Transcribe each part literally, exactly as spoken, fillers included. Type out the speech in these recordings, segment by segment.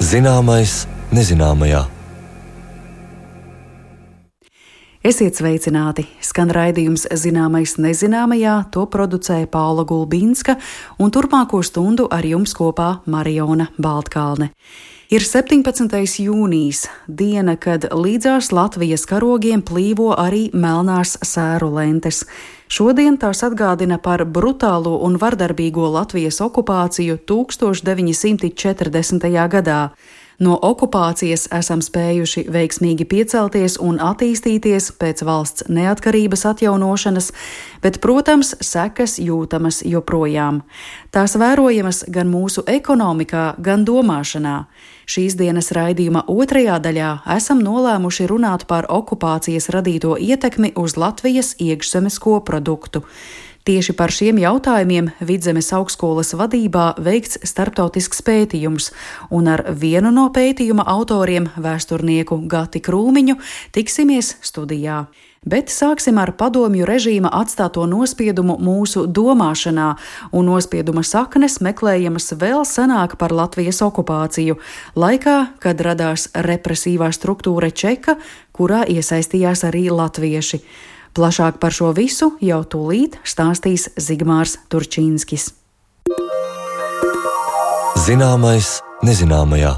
Zināmais nezināmajā. Esiet sveicināti! Skan raidījums Zināmais nezināmajā, to producēja Paula Gulbinska, un turpmāko stundu ar jums kopā Mariona Baltkalne. Ir septiņpadsmitais jūnijas, diena, kad līdzās Latvijas karogiem plīvo arī melnās sēru lentes. Šodien tās atgādina par brutālo un vardarbīgo Latvijas okupāciju tūkstoš deviņi simti četrdesmitajā gadā. No okupācijas esam spējuši veiksmīgi piecelties un attīstīties pēc valsts neatkarības atjaunošanas, bet, protams, sekas jūtamas joprojām. Tās vērojamas gan mūsu ekonomikā, gan domāšanā. Šīs dienas raidījuma otrajā daļā esam nolēmuši runāt par okupācijas radīto ietekmi uz Latvijas iekšzemes koproduktu. Tieši par šiem jautājumiem Vidzemes augstskolas vadībā veikts starptautisks pētījums, un ar vienu no pētījuma autoriem, vēsturnieku Gati Krūmiņu, tiksimies studijā. Bet sāksim ar padomju režīma atstāto nospiedumu mūsu domāšanā, un nospieduma saknes meklējamas vēl senāk par Latvijas okupāciju, laikā, kad radās represīvā struktūra Čeka, kurā iesaistījās arī latvieši. Plašāk par šo visu jau tūlīt stāstīs Zigmārs Turčīnskis. Zināmais nezināmajā.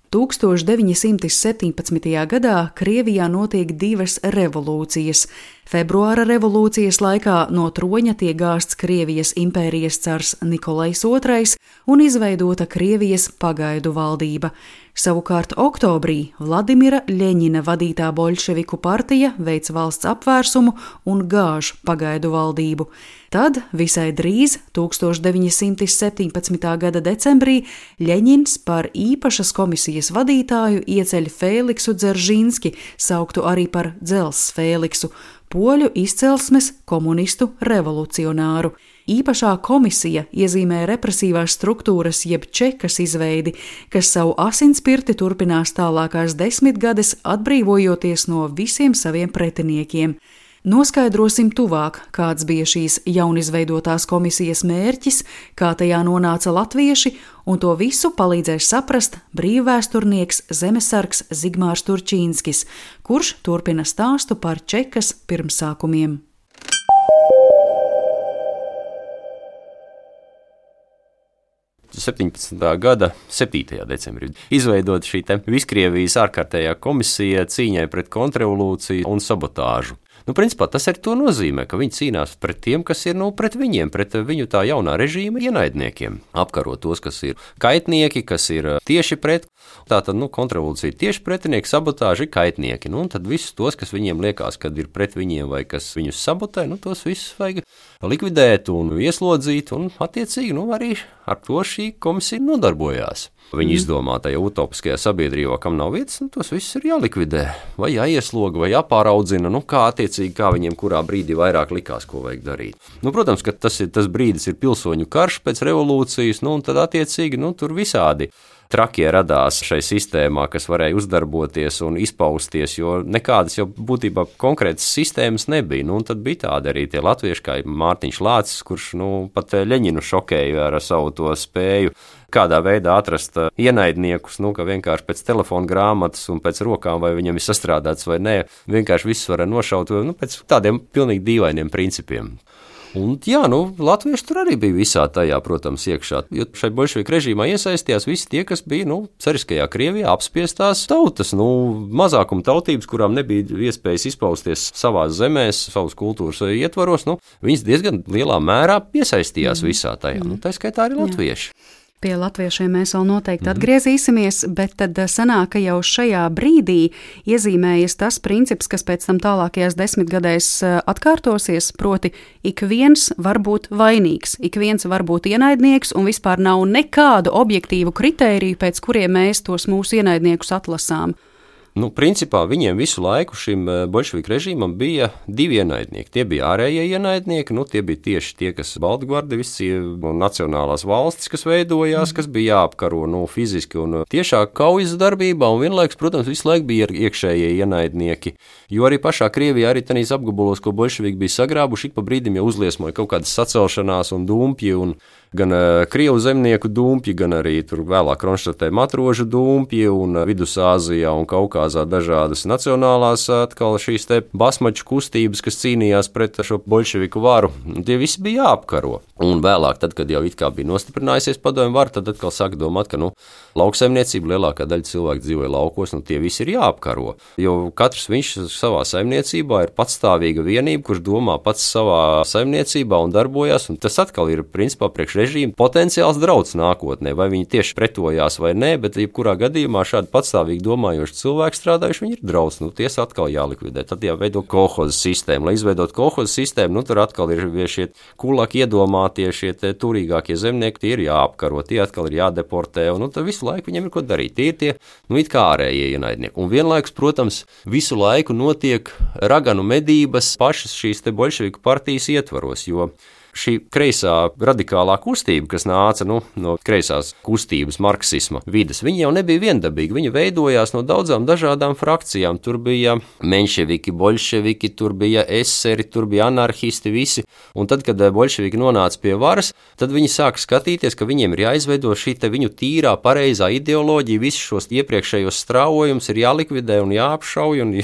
tūkstoš deviņi simti septiņpadsmitajā gadā Krievijā notiek divas revolūcijas. Februāra revolūcijas laikā no troņa tiek gāsts Krievijas impērijas cars Nikolais otrais un izveidota Krievijas pagaidu valdība. Savukārt oktobrī Vladimira Ļeņina vadītā boļševiku partija veic valsts apvērsumu un gāž pagaidu valdību. Tad visai drīz, tūkstoš deviņi simti septiņpadsmitā gada decembrī, Ļeņins par īpašas komisijas vadītāju ieceļ Fēliksu Dzeržinski, sauktu arī par Dzels Fēliksu, poļu izcelsmes komunistu revolucionāru. Īpašā komisija iezīmē represīvās struktūras jeb čekas izveidi, kas savu asinspirti turpinās tālākās desmitgades, atbrīvojoties no visiem saviem pretiniekiem. Noskaidrosim tuvāk, kāds bija šīs jaunizveidotās komisijas mērķis, kā tajā nonāca latvieši, un to visu palīdzēs saprast brīvvēsturnieks zemesargs Zigmārs Turčīnskis, kurš turpina stāstu par Čekas pirmsākumiem. septiņpadsmitā gada septītajā decembrī izveidota šī te Viskrievijas ārkārtējā komisija cīņai pret kontrrevolūciju un sabotāžu. Nu, principā tas arī to nozīmē, ka viņi cīnās pret tiem, kas ir, nu, pret viņiem, pret viņu tā jaunā režīma ienaidniekiem. Apkaro tos, kas ir kaitnieki, kas ir tieši pret. Tātad, nu, kontrrevolūcija tieši pretinieki, sabotāži ir kaitnieki. Nu, un tad visus tos, kas viņiem liekas, kad ir pret viņiem vai kas viņus sabotē, nu, tos visus vajag likvidēt un ieslodzīt, un attiecīgi, nu, arī ar to šī komisija nodarbojās. Viņa izdomātajā utopiskajā sabiedrībā, kam nav vietas, nu, tos visus ir jālikvidē, vai jāiesloga, vai jāpāraudzina, nu, kā attiecīgi, kā viņiem kurā brīdī vairāk likās, ko vajag darīt. Nu, protams, ka tas, ir, tas brīdis ir pilsoņu karš pēc revolūcijas, nu, un tad attiecīgi, nu, tur visādi trakie radās šai sistēmā, kas varēja uzdarboties un izpausties, jo nekādas jau būtībā konkrētas sistēmas nebija. Nu, un tad bija tādi arī tie latvieši, kā Mārtiņš Lācis, kurš, nu, pat Ļeņinu šokēja ar savu to spēju kādā veidā atrast ienaidniekus, nu, ka vienkārši pēc telefona grāmatas un pēc rokām, vai viņam ir sastrādāts vai nē, vienkārši visus var nošaut, nu, pēc tādiem pilnīgi dīvainiem principiem. Un, jā, nu, latvieši tur arī bija visā tajā, protams, iekšā, jo šai boļševiku režīmā iesaistījās visi tie, kas bija, nu, cariskajā Krievijā apspiestās tautas, nu, mazākuma tautības, kurām nebija iespējas izpausties savās zemēs, savas kultūras ietvaros, nu, viņas diezgan lielā mērā iesaistījās mm. visā tajā, nu, tā skaitā arī latvieši. Jā. Pie latviešiem mēs vēl noteikti atgriezīsimies, bet tad sanāk, ka jau šajā brīdī iezīmējas tas princips, kas pēc tam tālākajās desmitgadēs atkārtosies, proti ik viens var būt vainīgs, ik viens var būt ienaidnieks un vispār nav nekādu objektīvu kritēriju, pēc kuriem mēs tos mūsu ienaidniekus atlasām. Nu, principā viņiem visu laiku šim boļševiku režīmam bija divi ienaidnieki. Tie bija ārējie ienaidnieki, nu, tie bija tieši tie, kas baltgvardisti un nacionālās valstis, kas veidojās, kas bija jāapkaro, nu, fiziski un tiešā kaujas darbībā, un vienlaikus, protams, visu laiku bija iekšējie ienaidnieki, jo arī pašā Krievijā, arī tanīs apgabalos, ko boļševiki bija sagrābuši, ik pa brīdim jau uzliesmoja kaut kādas sacelšanās un dumpji, un gan Krievu zemnieku dumpji, gan arī tur vēlāk Kronštatē matrožu dumpji un Vidusāzijā un Kaukāzā dažādas nacionālās atkal šīs te basmaču kustības, kas cīnījās pret šo boļševiku varu. Tie visi bija jāapkaro. Un vēlāk, tad, kad jau it kā bija nostiprinājusies padomju vara, tad atkal sāk domāt, ka nu, lauksaimniecība lielākā daļa cilvēku dzīvoja laukos, nu tie visi ir jāapkaro. Jo katrs viņš savā saimniecībā ir patstāvīga vienība, kurš domā pats savā saimniecībā un darbojas, un tas atkal ir principā priekš režīma potenciāls drauds nākotnē, vai viņi tieši pretojās vai nē, bet jebkurā gadījumā šādi patstāvīgi domājoši cilvēki strādājuši, viņi ir drauds, nu ties atkal jālikvidē. Tad jāveido kolhoza sistēma. Lai izveidot kolhoza sistēmu, nu tur atkal ir šie kulaki iedomātie, šie turīgākie zemnieki, tie ir jāapkaro, tie atkal ir jādeportē, un nu, tad visu laiku viņiem ir ko darīt. Tie ir tie, nu it kā ārējie ienaidnieki. Un vienlaikus, protams, visu laiku notiek raganu medības pašas šīs te boļševiku partijas ietvaros, jo šī kreisā radikālā kustība, kas nāca nu, no kreisās kustības marksisma vides, viņa jau nebija viendabīga. Viņa veidojās no daudzām dažādām frakcijām. Tur bija menševiki, boļševiki, tur bija eseri, tur bija anarhisti, visi. Un tad, kad boļševiki nonāca pie varas, tad viņi sāka skatīties, ka viņiem ir jāizveido šī te viņu tīrā, pareizā ideoloģija, visus šos iepriekšējos straujojumus ir jālikvidē un jāapšauj. Un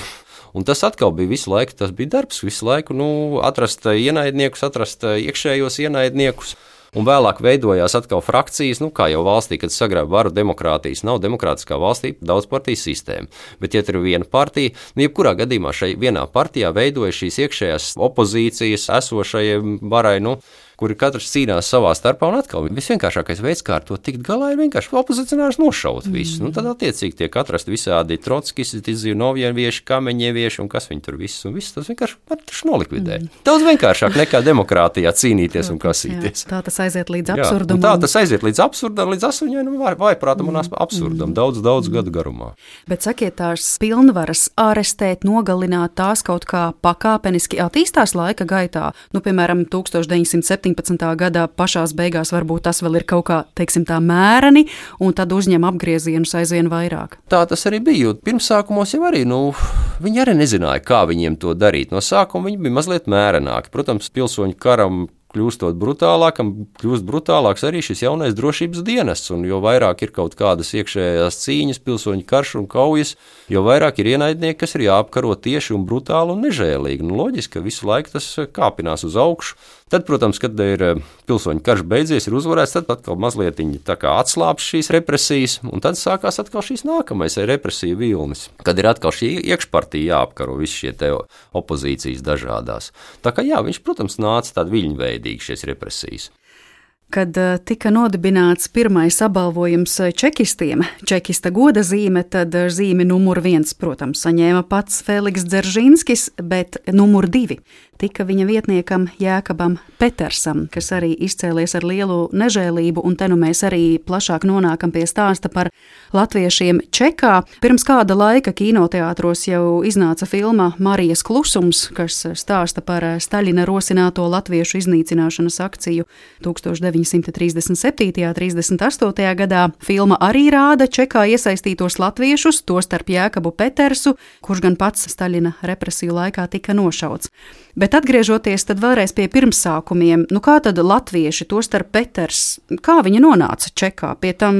Un tas atkal bija visu laiku, tas bija darbs, visu laiku nu, atrast ienaidniekus, atrast iekšējos ienaidniekus. Un vēlāk veidojās atkal frakcijas, nu kā jau valstī, kad sagrāba varu demokrātijas, nav demokrātiskā valstī daudzpartijas sistēma. Bet, ja tur ir viena partija, nu jebkurā gadījumā šai vienā partijā veidoja šīs iekšējās opozīcijas esošajai varai, nu, kuri katrs cīnās savā starpā, un atkal visvienkāršākais veids, kā ar to tikt galā, ir vienkārši opozicionārus nošaut visus. Mm. Nu, tad attiecīgi tiek atrasti visādi trotskisti, Zinovjevieši, Kameņevieši un kas viņi tur visus, un visus tas vienkārši var taču nolikvidēt. Mm. Daudz vienkāršāk nekā demokrātijā cīnīties un kasīties. Jā, tā tas aiziet līdz absurdam. Jā, tā tas aiziet līdz absurdam, līdz asaņainam vaiprātam un absurdam, mm. daudz, daudz gadu garumā. Bet sakiet, tās pilnvaras ārestēt, nogalināt, tās kaut kā pakāpeniski attīstās laika gaitā. Nu, piemēram, tūkstoš deviņsimt septiņpadsmitā gadā pašās beigās varbūt tas vēl ir kaut kā, teiksim tā, mēreni, un tad uzņem apgriezienus aizvien vairāk. Tā tas arī bija, jo pirmsākumos jau arī, nu, viņi arī nezināja, kā viņiem to darīt. No sākuma viņi bija mazliet mērenāki. Protams, pilsoņu karam kļūstot brutālākam, kļūst brutālāks arī šis jaunais drošības dienests, un jo vairāk ir kaut kādas iekšējās cīņas, pilsoņu karš un kaujas, jo vairāk ir ienaidnieki, kas ir jāapkaro tieši un brutāli un nežēlīgi. Nu, loģiski, ka visu laiku tas kāpinās uz augšu. Tad, protams, kad ir pilsoņu karš beidzies, ir uzvarēts, tad atkal mazliet tā kā atslāps šīs represijas, un tad sākās atkal šīs nākamais represiju vilnis, kad ir atkal šī iekšpartija jāapkaro visi šie te opozīcijas dažādās. Tā kā jā, viņš, protams, nāca tādi viļņveidīgi šīs represijas. Kad tika nodibināts pirmais apbalvojums čekistiem, čekista goda zīme, tad zīmi numur viens, protams, saņēma pats Feliks Dzeržinskis, bet numur divi tika viņa vietniekam Jēkabam Petersam, kas arī izcēlies ar lielu nežēlību, un te nu mēs arī plašāk nonākam pie stāsta par latviešiem Čekā. Pirms kāda laika kinoteātros jau iznāca filma Marijas klusums, kas stāsta par Staļina rosināto latviešu iznīcināšanas akciju tūkstoš deviņsimt trīsdesmit septītajā un trīsdesmit astotajā gadā. Filma arī rāda Čekā iesaistītos latviešus, tostarp Jēkabu Petersu, kurš gan pats Staļina represiju laikā tika nošauts. Bet atgriežoties tad vēlreiz pie pirmsākumiem, nu kā tad latvieši, tostarp Peters, kā viņi nonāca Čekā? Pie tam,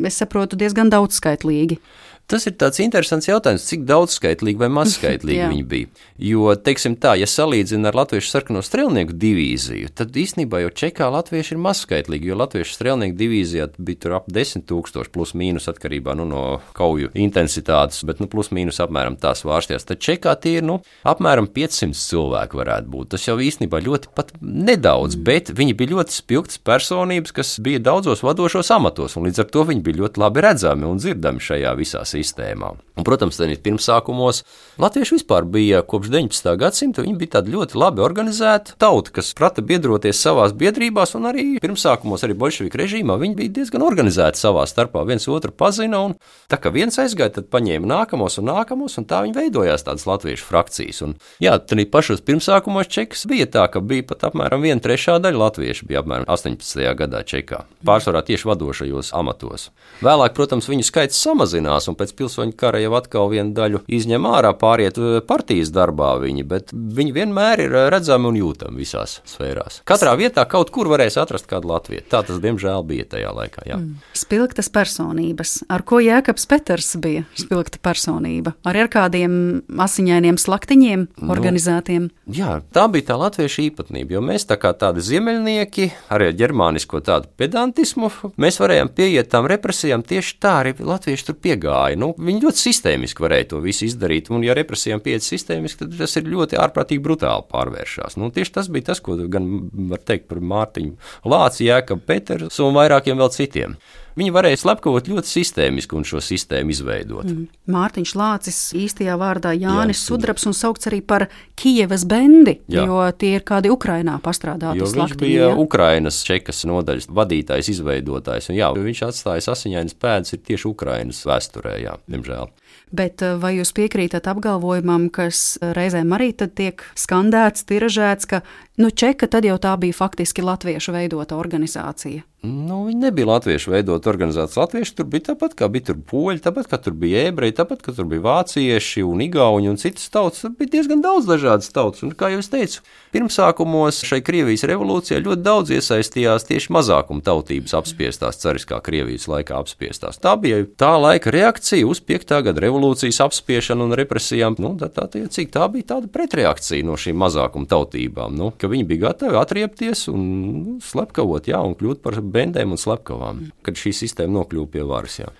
es saprotu, diezgan daudzskaitlīgi. Tas ir tāds interesants jautājums, cik daudzskaitlīgi vai mazskaitlīgi viņi bija. Jo, teiksim tā, ja salīdzina ar latviešu sarkano strelnieku divīziju, tad īstenībā jau Čekā latvieši ir mazskaitlīgi, jo latviešu strelnieku divīzijā bija tur ap desmit tūkstoši plus mīnus atkarībā nu, no kauju intensitātes, bet nu, plus mīnus apmēram tās vārstījās. Tad Čekā tie ir nu, apmēram piecsimt cilvēki varētu būt. Tas jau īstenībā ļoti pat nedaudz, bet viņi bija ļoti spilgtas personības, kas bija daudzos vadošos amatos, un līdz ar to viņi bija ļoti labi redzami un dzirdami šajā visā sistēmā. Un, protams, tad pirmsākumos latvieši vispār bija kopš deviņpadsmitā gadsimta, viņi bija tāda ļoti labi organizēta tauta, kas prata biedroties savās biedrībās, un arī pirmsākumos arī boļševiku režīmā viņi bija diezgan organizēti savā starpā, viens otru pazina, un tā kā viens aizgāja, tad paņēma nākamos un nākamos, un tā viņi veidojās tādas latviešu frakcijas. Un, jā, tad pašos pirmsākumos Čekas bija tā, ka bija pat apmēram viena trešā daļa latviešu, bija apmēram astoņpadsmitajā gadā Čekā, pārsvarā tieši vadošajos amatos. Vēlāk, protams, viņu skaits samazinās, un pēc pēc pilsoņu kara jau atkal vienu daļu izņem ārā, pāriet partijas darbā viņi, bet viņi vienmēr ir redzami un jūtami visās sfērās. Katrā vietā kaut kur varēs atrast kādu latviešu. Tā tas, diemžēl, bija tajā laikā. Jā. Mm. Spilgtas personības. Ar ko Jēkabs Peters bija spilgta personība? Arī ar kādiem asiņainiem slaktiņiem organizētiem? Nu, jā, tā bija tā latviešu īpatnība, jo mēs tā kā tādi ziemeļnieki, arī ar ģermānisko tādu pedantismu, mēs varējām pieiet tām represijām, tieši tā arī latvieši tur piegāja. Nu, viņi ļoti sistēmiski varēja to visu izdarīt, un ja represijām pieiet sistēmiski, tad tas ir ļoti ārprātīgi brutāli pārvēršās. Nu, tieši tas bija tas, ko gan var teikt par Mārtiņu Lāci, Jēkabu Peters un vairākiem vēl citiem. Viņi varēja slepkavot ļoti sistēmiski un šo sistēmu izveidot. Mm. Mārtiņš Lācis īstajā vārdā Jānis Jā, Sudrabs un saukts arī par Kijevas bendi, Jā. jo tie ir kādi Ukrainā pastrādāti jo slaktiņi. Viņš bija ja? Ukrainas čekas nodaļas vadītājs, izveidotājs. Un jā, viņš atstājis asiņainas pēdas ir tieši Ukrainas vēsturē, jā, diemžēl. Bet vai jūs piekrītat apgalvojumam, kas reizēm arī tad tiek skandēts, tiražēts, ka nu, čeka tad jau tā bija faktiski latviešu veidota organizācija? Nu, viņi nebija latviešu veidota organizācija. Latvieši tur bija tāpat, kā bija tur poļi, tāpat, kā tur bija ebreji, tāpat, kā tur bija vācieši un igauņi un citas tautas. Tur bija diezgan daudz dažādas tautas. Un, kā jau es teicu, pirmsākumos šai Krievijas revolūcijā ļoti daudz iesaistījās tieši mazākuma tautības apspiestās, cariskā Krievijas laikā apspiestās. Tā bija tā laika reakcija uz piektā gada revolūcijas apspiešanu un represijām. Nu, tā, tā, tā, cik tā bija tāda pretreakcija no šīm mazākuma tautībām, nu, ka viņi bija gatavi atriepties un nu, slepkavot, jā, un kļūt par bendēm un slepkavām, kad šī sistēma nokļuva pie varas. Jā.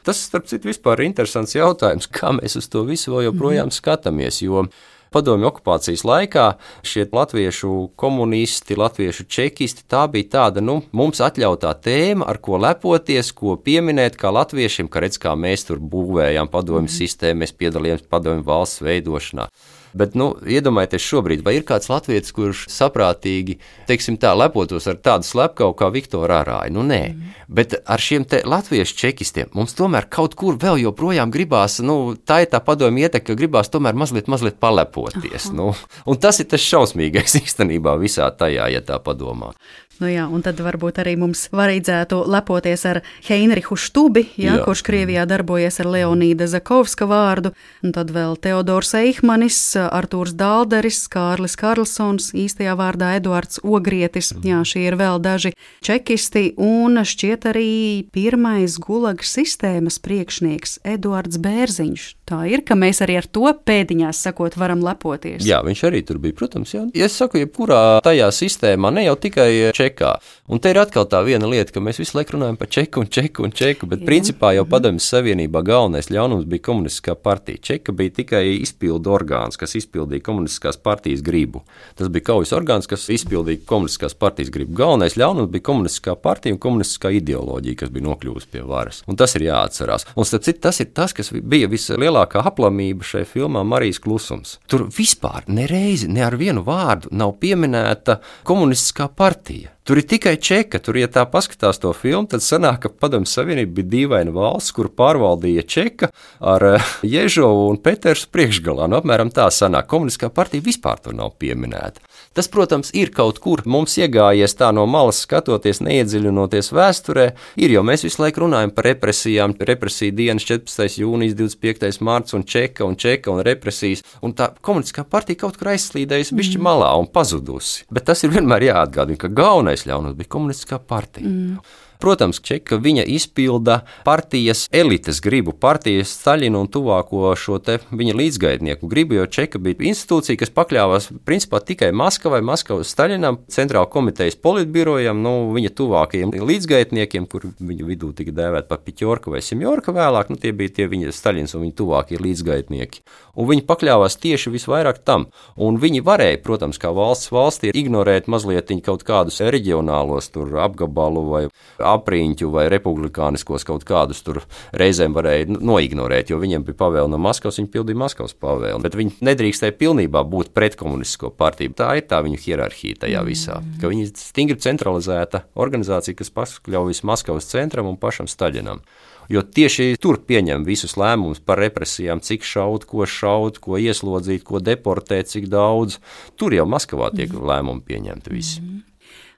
Tas, starp citu, vispār ir interesants jautājums, kā mēs uz to visu vēl joprojām skatāmies, jo padomju okupācijas laikā šie latviešu komunisti, latviešu čekisti, tā bija tāda, nu, mums atļautā tēma, ar ko lepoties, ko pieminēt kā latviešiem, ka redz, kā mēs tur būvējām padomju sistēmu, mēs piedalījāmies padomju valsts veidošanā. Bet, nu, iedomājieties šobrīd, vai ir kāds latvietis, kurš saprātīgi, teiksim tā, lepotos ar tādu slepkavu kā Viktoru Arāju? Nu, nē. Mm. Bet ar šiem te latviešu čekistiem mums tomēr kaut kur vēl joprojām gribās, nu, tā ir tā padomju ietekme, ka gribās tomēr mazliet, mazliet palepoties. Nu, un tas ir tas šausmīgais īstenībā visā tajā, ja tā padomā. Nu jā, un tad varbūt arī mums vajadzētu lepoties ar Heinrichu Štubi, jā, jā. kurš Krievijā darbojies ar Leonīda Zakovska vārdu, un tad vēl Teodors Eichmanis, Artūrs Dalderis, Kārlis Karlsons, īstajā vārdā Eduards Ogrietis. Jā, šie ir vēl daži čekisti, un šķiet arī pirmais gulagas sistēmas priekšnieks Eduards Bērziņš. Tā ir, ka mēs arī ar to pēdiņās sakot varam lepoties. Jā, viņš arī tur bija, protams, jā. Ja es saku, jebkurā tajā sistēmā, ne jau tikai čekā. Un te ir atkal tā viena lieta, ka mēs visu laiku runājam par čeku un čeku un čeku, bet jā. Principā jau Padomjas Savienībā galvenais ļaunums bija komunistiskā partija. Čeka bija tikai izpildu orgāns, kas izpildīja komunistiskās partijas gribu. Tas bija kaujas orgāns, kas izpildīja komunistiskās partijas gribu. Galvenais ļaunums bija komunistiskā partija un komunistiskā ideoloģija, kas bija nokļuvusi pie varas. Un tas ir jāatcerās. Un starp citu, tas ir tas, kas bija vislielākā aplamība šai filmā Marijas klusums. Tur vispār nereizi, ne ar vienu vārdu nav pieminēta komunistiskā partija. Tur ir tikai čeka, tur, ja tā paskatās to filmu, tad sanāk, ka Padomjas Savienība bija dīvaina valsts, kuru pārvaldīja čeka ar Ježovu un Petersu priekšgalā. Nu, apmēram tā sanāk. Komunistiskā partija vispār tur nav pieminēta. Tas, protams, ir kaut kur mums iegājies tā no malas skatoties, neiedziļinoties vēsturē, ir, jo mēs visu laiku runājam par represijām, represiju dienas četrpadsmitais jūnijas, divdesmit piektais marts un čeka un čeka un represijas, un tā komunistiskā partija kaut kur aizslīdējusi bišķi malā un pazudusi. Bet tas ir vienmēr jāatgādina, ka galvenais ļaunums bija komunistiskā partija. Mm. Protams, Čeka viņa izpilda partijas elites gribu, partijas Staļina un tuvāko šo te viņa līdzgaitnieku gribu, jo Čeka bija institūcija, kas pakļāvās principā tikai Maskavai, Maskavas Staļinam, centrāla komitejas politbirojam, nu, viņa tuvākajiem līdzgaitniekiem, kur viņu vidū tika dēvēt par Piķorka vai Simjorka vēlāk, nu, tie bija tie viņa Staļins un viņa tuvākie līdzgaitnieki. Un viņi pakļāvās tieši visvairāk tam. Un viņi varēja, protams, kā valsts valstī ignorēt mazliet kaut kādus reģionālos tur apgabalu vai apriņķu vai republikāniskos kaut kādus tur reizēm varēja noignorēt, jo viņiem bija pavēle no Maskavas, viņi pildīja Maskavas pavēli. Bet viņi nedrīkstēja pilnībā būt pret komunistisko partiju. Tā ir tā viņu hierarhija tajā visā, ka viņi stingri centralizēta organizācija, kas pakļaujas Maskavas centram un pašam Staļinam. Jo tieši tur pieņem visus lēmumus par represijām, cik šaut, ko šaut, ko ieslodzīt, ko deportēt, cik daudz. Tur jau Maskavā tiek lēmumi pieņemti visi.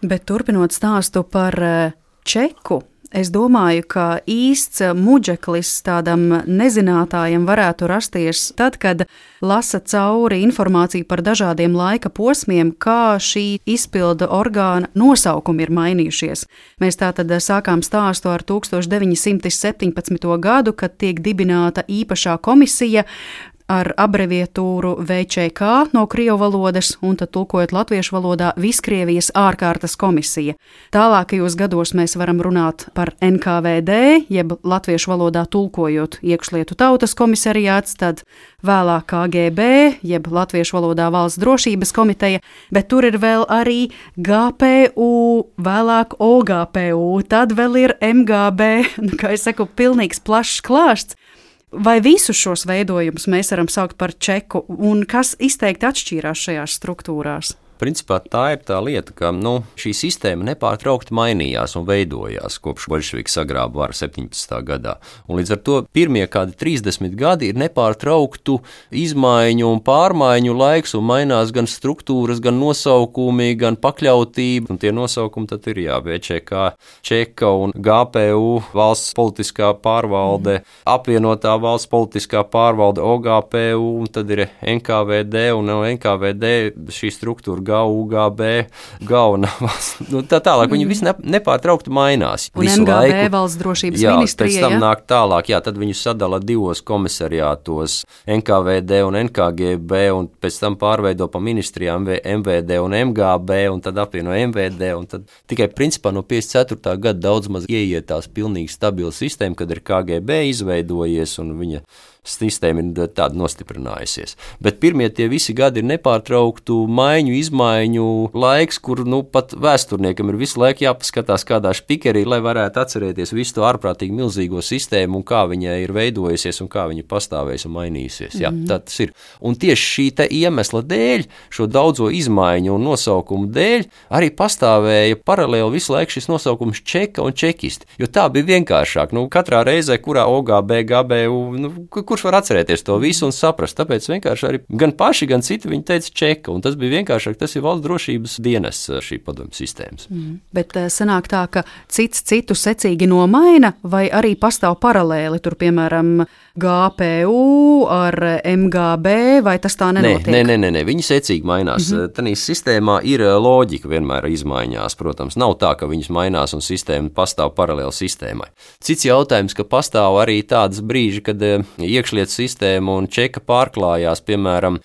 Bet turpinot stāstu par Čeku Es domāju, ka īsts muģeklis tādam nezinātājam varētu rasties tad, kad lasa cauri informāciju par dažādiem laika posmiem, kā šī izpilda orgāna nosaukumi ir mainījušies. Mēs tātad sākām stāstu ar tūkstoš deviņi simti septiņpadsmito gadu, kad tiek dibināta īpašā komisija ar abreviatūru V Č K no krievu valodas, un tad tulkojot latviešu valodā Viskrievijas ārkārtas komisija. Tālākajos gados mēs varam runāt par N K V D, jeb latviešu valodā tulkojot iekšlietu tautas komisariāts, tad vēlāk K G B, jeb latviešu valodā valsts drošības komiteja, bet tur ir vēl arī G P U, vēlāk O G P U, tad vēl ir M G B, kā es saku, pilnīgs plašs klāsts. Vai visus šos veidojumus mēs varam saukt par čeku, un kas izteikti atšķīrās šajās struktūrās? Principā tā ir tā lieta, ka nu, šī sistēma nepārtraukti mainījās un veidojās kopš boļševiki sagrāba varu septiņpadsmitā gadā. Un līdz ar to pirmie kādi trīsdesmit gadi ir nepārtrauktu izmaiņu un pārmaiņu laiks, un mainās gan struktūras, gan nosaukumi, gan pakļautība. Un tie nosaukumi tad ir jā, V Č K, Čeka un G P U, valsts politiskā pārvalde, apvienotā valsts politiskā pārvalde, O G P U, un tad ir N K V D, un no N K V D šī struktūra G U G B, galvenā valsts, nu, tā tālāk, viņi visi nepārtraukti mainās. Un M G B valsts drošības jā, ministrija, pēc tam ja? nāk tālāk, jā, tad viņu sadala divos komisariātos, N K V D un N K G B, un pēc tam pārveido pa ministrijām M V D un M G B, un tad apvieno M V D, un tad tikai principā no piecdesmit ceturtā gada daudz maz ieietās pilnīgi stabila sistēma, kad ir K G B izveidojies, un viņa sistēma ir tāda nostiprinājusies. Bet pirmie tie visi gadi ir nepārtrauktu maiņu, izmaiņu laiks, kur nu, pat vēsturniekam ir visu laiku jāpaskatās kādā špikerī, lai varētu atcerēties visu to ārprātīgi milzīgo sistēmu un kā viņa ir veidojusies un kā viņa pastāvēs un mainīsies. Jā, mm-hmm. Tā tas ir. Un tieši šī te iemesla dēļ, šo daudzo izmaiņu un nosaukumu dēļ, arī pastāvēja paralēli visu laiku šis nosaukums čeka un čekisti, jo tā bija vienkāršāk. Nu, katrā reizē, kurā O G B, G B U, nu, kurš var atcerēties to visu un saprast, tāpēc vienkārši arī gan paši, gan citi viņi teica čeka, un tas bija vienkāršāk, tas ir valsts drošības dienas šī padomju sistēmas. Mm. Bet sanāk tā, ka cits citu secīgi nomaina, vai arī pastāv paralēli, tur piemēram G P U ar M G B, vai tas tā nenotiek? Nē, nē, nē, nē, viņi secīgi mainās. Mm-hmm. Tanīs sistēmā ir loģika vienmēr izmaiņās, protams, nav tā, ka viņas mainās un sistēma pastāv paralēli sistēmai. Cits jautājums, ka pastāv arī tādas brīži, kad iekšlietu sistēma un čeka pārklājās, piemēram,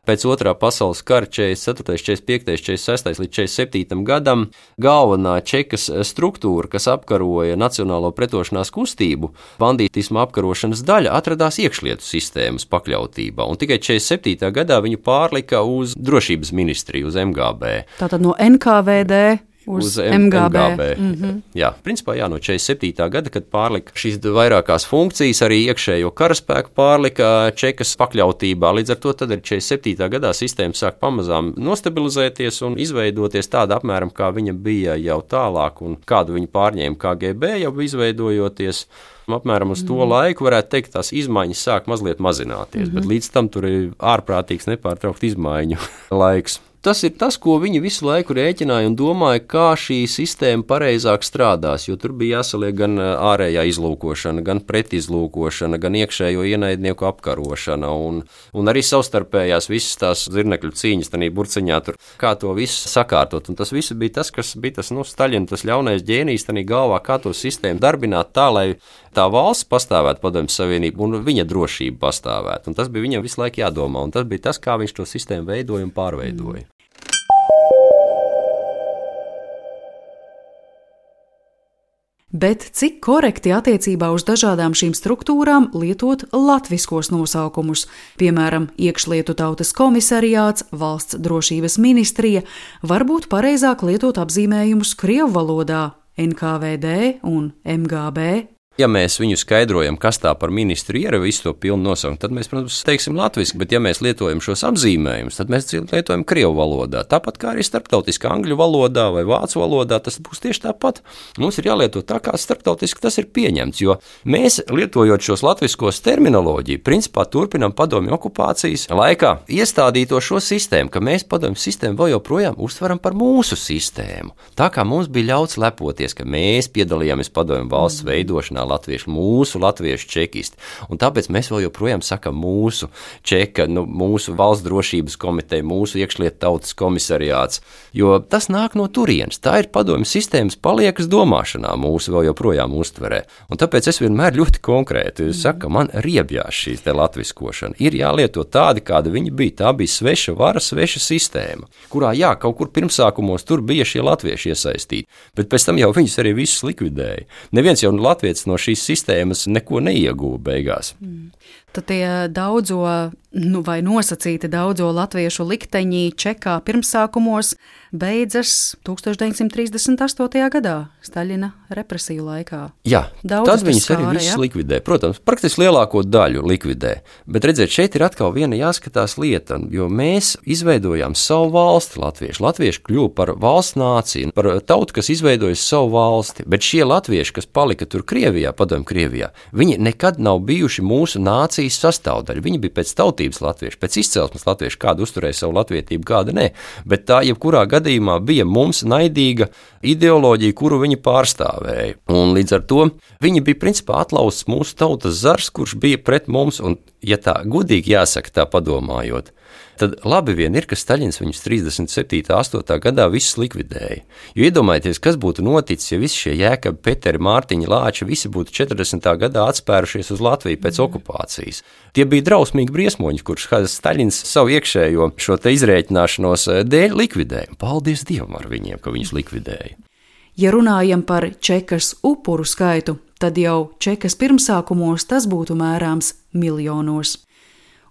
pēc otrā pasaules kara četrdesmit ceturtais, četrdesmit piektais, četrdesmit sestais līdz četrdesmit septītajam gadam galvenā čekas struktūra, kas apkaroja nacionālo pretošanās kustību, bandītisma apkarošanas daļa atradās iekšlietu sistēmas pakļautībā, un tikai četrdesmit septītajā gadā viņu pārlika uz drošības ministriju, uz M G B. Tātad no N K V D uz, uz M G B. M G B. Mm-hmm. Jā, principā jā, no četrdesmit septītā gada, kad pārlika šīs vairākās funkcijas, arī iekšējo karaspēku pārlika čekas pakļautībā. Līdz ar to tad arī četrdesmit septītā gadā sistēma sāk pamazām nostabilizēties un izveidoties tāda apmēram, kā viņa bija jau tālāk un kādu viņa pārņēma K G B jau izveidojoties. Apmēram uz to mm. laiku varētu teikt, tās izmaiņas sāk mazliet mazināties, mm-hmm. bet līdz tam tur ir ārprātīgs nepārtraukt izmaiņu laiks. Tas ir tas, ko viņi visu laiku rēķināja un domāja, kā šī sistēma pareizāk strādās, jo tur bija jāsaliek gan ārējā izlūkošana, gan pretizlūkošana, gan iekšējo ienaidnieku apkarošana un, un arī savstarpējās visas tās zirnekļu cīņas tanī burciņā tur, kā to visu sakārtot. Un tas viss bija tas, kas bija tas, nu, Staļina, tas ļaunais ģēnijs tanī galvā, kā to sistēmu darbināt tā, lai tā valsts pastāvētu Padomju Savienību un viņa drošība pastāvētu. Un tas bija viņam visu laiku jādomā, un tas bija tas, kā viņš to sistēmu veidoja un pārveidoja. Mm. Bet cik korekti attiecībā uz dažādām šīm struktūrām lietot latviskos nosaukumus, piemēram, iekšlietu tautas komisariāts, valsts drošības ministrija, varbūt pareizāk lietot apzīmējumus krievu valodā N K V D un M G B? Ja mēs viņu skaidrojam, kas tā par ministru ir, visu to pilnu nosaukumu, tad mēs, protams, teiksim latviski, bet ja mēs lietojam šos apzīmējumus, tad mēs lietojam krievu valodā. Tāpat kā arī starptautiskā angļu valodā vai vācu valodā, tas būs tieši tāpat. Mums ir jālieto tā, kā starptautiski tas ir pieņemts, jo mēs, lietojot šos latviskos terminoloģiju, principā turpinam padomju okupācijas laikā iestādīto šo sistēmu, ka mēs padomju sistēmu vēl joprojām uztveram par mūsu sistēmu. Tā kā mums bija ļauts lepoties, ka mēs piedalījāmies padomju valsts veidošanā, latvieši, mūsu latviešu čekisti. Un tāpēc mēs vēl joprojām sakam mūsu čeka, nu, mūsu valsts drošības komiteja, mūsu iekšlietu tautas komisariāts, jo tas nāk no turienes. Tā ir padomju sistēmas paliekas domāšanā mūsu vēl joprojām uztverē. Un tāpēc es vienmēr ļoti konkrēti saku, man riebjās šīs te latviskošana. Ir jālieto tādi, kāda viņi bija. Tā bija sveša vara, sveša sistēma, kurā, jā, kaut kur pirmsākumos tur bija šie latvieši iesaistīti, bet pēc tam jau viņus arī visus likvidēja. Neviens jau latvietis no šīs sistēmas neko neieguva beigās. Mm. Tad tie daudzo, nu vai nosacīti daudzo latviešu likteņi Čekā pirmsākumos beidzas tūkstoš deviņsimt trīsdesmit astotajā gadā, Staļina represiju laikā. Jā, Daudzas tad viņus skāra, arī visus ja? likvidē. Protams, praktiski lielāko daļu likvidē. Bet redziet, šeit ir atkal viena jāskatās lieta, jo mēs izveidojām savu valsti latvieši. Latvieši kļuva par valsts nāciju, par tautu, kas izveidojas savu valsti. Bet šie latvieši, kas palika tur Krievijā, padomju Krievijā, viņi nekad nav bijuši mūsu nācijas sastāvdaļa. Viņi bija pēc tautības latvieši, pēc izcelsmes latvieši, kāda uzturēja savu latvietību, kāda ne. Bet tā jebkurā gadījumā bija mums naidīga ideoloģija, kuru viņi pārstāvēja. Un līdz ar to viņi bija principā atlausts mūsu tautas zars, kurš bija pret mums, un ja tā godīgi jāsaka, tā padomājot, tad labi vien ir, ka Staļins viņus trīsdesmit septītā astotā gadā visus likvidēja. Jo iedomājieties, kas būtu noticis, ja visi šie Jēkabi, Peteri, Mārtiņi, Lāči, visi būtu četrdesmitā gadā atspērušies uz Latviju pēc okupācijas. Tie bija drausmīgi briesmoņi, kurš Staļins savu iekšējo šo te izrēķināšanos dēļ likvidēja. Paldies Dievam ar viņiem, ka viņus likvidēja. Ja runājam par Čekas upuru skaitu, tad jau Čekas pirmsākumos tas būtu mērāms miljonos.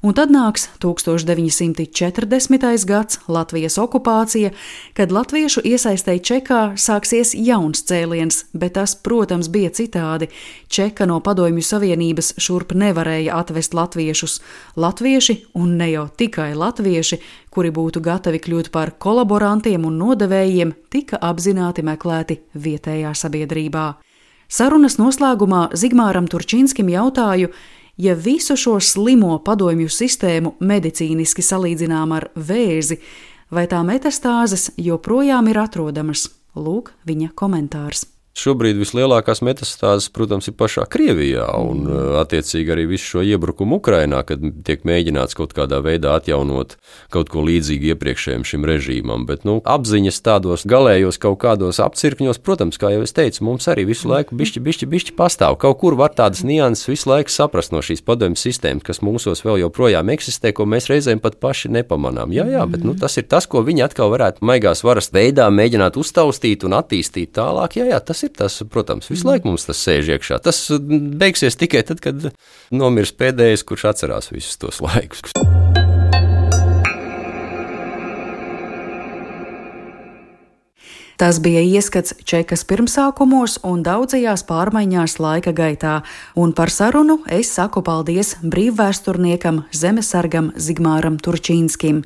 Un tad nāks tūkstoš deviņi simti četrdesmitais gads, Latvijas okupācija, kad latviešu iesaistei Čekā sāksies jauns cēliens, bet tas, protams, bija citādi. Čeka no Padomju Savienības šurp nevarēja atvest latviešus. Latvieši, un ne jau tikai latvieši, kuri būtu gatavi kļūt par kolaborantiem un nodevējiem, tika apzināti meklēti vietējā sabiedrībā. Sarunas noslēgumā Zigmāram Turčinskim jautāju, ja visu šo slimo padomju sistēmu medicīniski salīdzinām ar vēzi, vai tā metastāzes joprojām ir atrodamas? Lūk, viņa komentārs. Šobrīd vislielākās metastāzes, protams, ir pašā Krievijā un attiecīgi arī visu šo iebrukumu Ukrainā, kad tiek mēģināts kaut kādā veidā atjaunot kaut ko līdzīgu iepriekšējiem šim režīmam. Bet, nu, apziņas tādos galējos kaut kādos apcirkņos, protams, kā jau es teicu, mums arī visu laiku bišķi, bišķi, bišķi pastāv. Kaut kur var tādas nianses visu laiku saprast no šīs padomju sistēmas, kas mūsos vēl joprojām eksistē, ko mēs reizēm pat paši nepamanām. Jā, jā, bet nu, tas ir tas, ko viņi atkal varētu maigās varas veidā mēģināt uztaustīt un attīstīt tālāk. Jā, jā, tas ir tas, protams, visu laiku mums tas sēž iekšā. Tas beigsies tikai tad, kad nomirs pēdējais, kurš atcerās visus tos laikus. Tas bija ieskats Čekas pirmsākumos un daudzajās pārmaiņās laika gaitā, un par sarunu es saku paldies brīvvēsturniekam, zemesargam Zigmāram Turčinskim.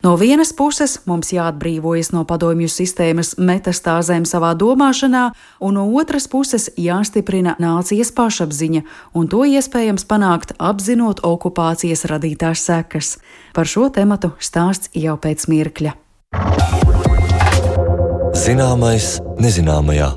No vienas puses mums jāatbrīvojas no padomju sistēmas metastāzēm savā domāšanā, un no otras puses jāstiprina nācijas pašapziņa, un to iespējams panākt apzinot okupācijas radītās sekas. Par šo tematu stāsts jau pēc mirkļa. Zināmais nezināmajā.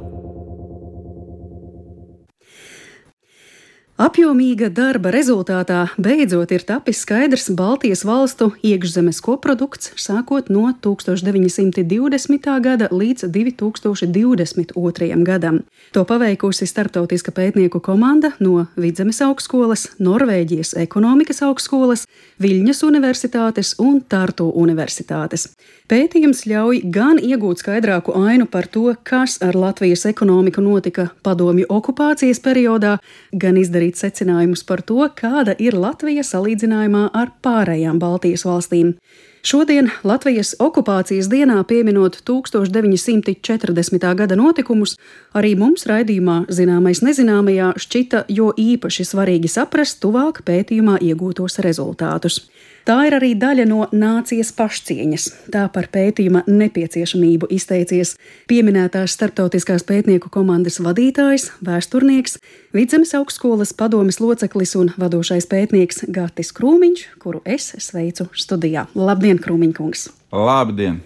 Apjomīga darba rezultātā beidzot ir tapis skaidrs Baltijas valstu iekšzemes koprodukts sākot no tūkstoš deviņi simti divdesmitā gada līdz divi tūkstoši divdesmit otrajam gadam. To paveikusi starptautiska pētnieku komanda no Vidzemes augstskolas, Norvēģijas ekonomikas augstskolas, Viļņas universitātes un Tartu universitātes. Pētījums ļauj gan iegūt skaidrāku ainu par to, kas ar Latvijas ekonomiku notika padomju okupācijas periodā, gan izdarīt secinājumus par to, kāda ir Latvija salīdzinājumā ar pārējām Baltijas valstīm. Šodien Latvijas okupācijas dienā pieminot tūkstoš deviņi simti četrdesmitā gada notikumus, arī mums raidījumā Zināmais nezināmajā šķita jo īpaši svarīgi saprast tuvāk pētījumā iegūtos rezultātus. Tā ir arī daļa no nācijas pašcieņas. Tā par pētījuma nepieciešamību izteicies pieminētās starptautiskās pētnieku komandas vadītājs, vēsturnieks, Vidzemes augstskolas padomes loceklis un vadošais pētnieks Gatis Krūmiņš, kuru es sveicu studijā. Labdien, Krūmiņkungs! Labdien!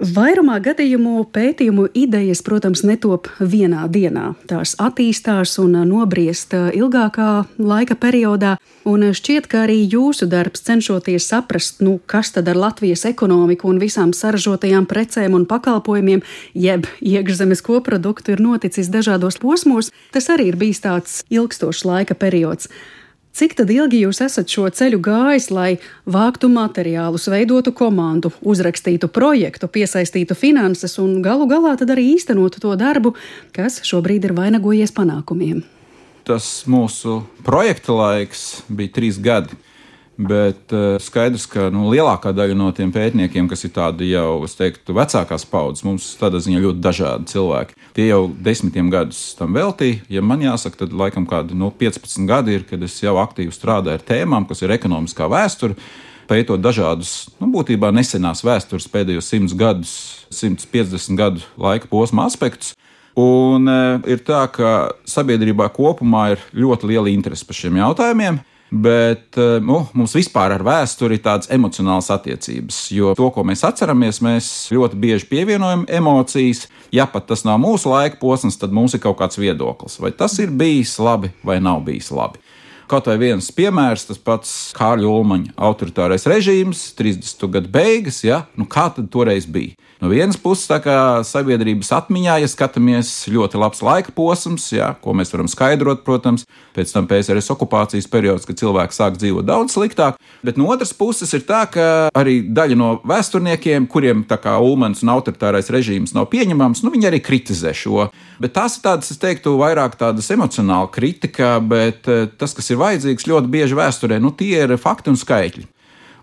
Vairumā gadījumu pētījumu idejas, protams, netop vienā dienā. Tās attīstās un nobriest ilgākā laika periodā, un šķiet, ka arī jūsu darbs cenšoties saprast, nu, kas tad ar Latvijas ekonomiku un visām saražotajām precēm un pakalpojumiem, jeb iekšzemes koproduktu ir noticis dažādos posmos, tas arī ir bijis tāds ilgstošs laika periods. Cik tad ilgi jūs esat šo ceļu gājis, lai vāktu materiālus, veidotu komandu, uzrakstītu projektu, piesaistītu finanses un galu galā tad arī īstenotu to darbu, kas šobrīd ir vainagojies panākumiem? Tas mūsu projekta laiks bija trīs gadi, bet uh, skaidrs, ka nu, lielākā daļa no tiem pētniekiem, kas ir tādi jau, es teiktu, vecākās paudzes, mums tādā ziņā ļoti dažādi cilvēki. Tie jau desmitiem gadus tam veltīja. Ja man jāsaka, tad laikam kādi no piecpadsmit gadi ir, kad es jau aktīvi strādāju ar tēmām, kas ir ekonomiskā vēsture, pētot dažādus, nu, būtībā nesenās vēstures pēdējos simts gadus, simts piecdesmit gadu laika posma aspektus. Un e, ir tā, ka sabiedrībā kopumā ir ļoti liela interese par šiem jautājumiem, bet nu, mums vispār ar vēsturi ir tādas emocionālas attiecības, jo to, ko mēs atceramies, mēs ļoti bieži pievienojam emocijas. Ja pat tas nav mūsu laika posms, tad mums ir kaut kāds viedoklis, vai tas ir bijis labi vai nav bijis labi. Kaut vai viens piemērs, tas pats Kārļa Ulmaņa autoritārais režīms, trīsdesmito gadu beigas, ja? Nu, kā tad toreiz bija? No vienas puses, tā kā sabiedrības atmiņā, ja skatāmies, ļoti labs laika posms, ja, ko mēs varam skaidrot, protams, pēc tam P S R S okupācijas periods, kad cilvēki sāk dzīvot daudz sliktāk, bet no otras puses ir tā, ka arī daļa no vēsturniekiem, kuriem tā kā Ulmans un autoritārais režīms nav pieņemams, nu viņi arī kritizē šo. Bet tās ir tādas, es teiktu, vairāk tādas emocionāla kritika, bet tas, kas ir vajadzīgs ļoti bieži vēsturē, nu tie ir fakti un skaitļi.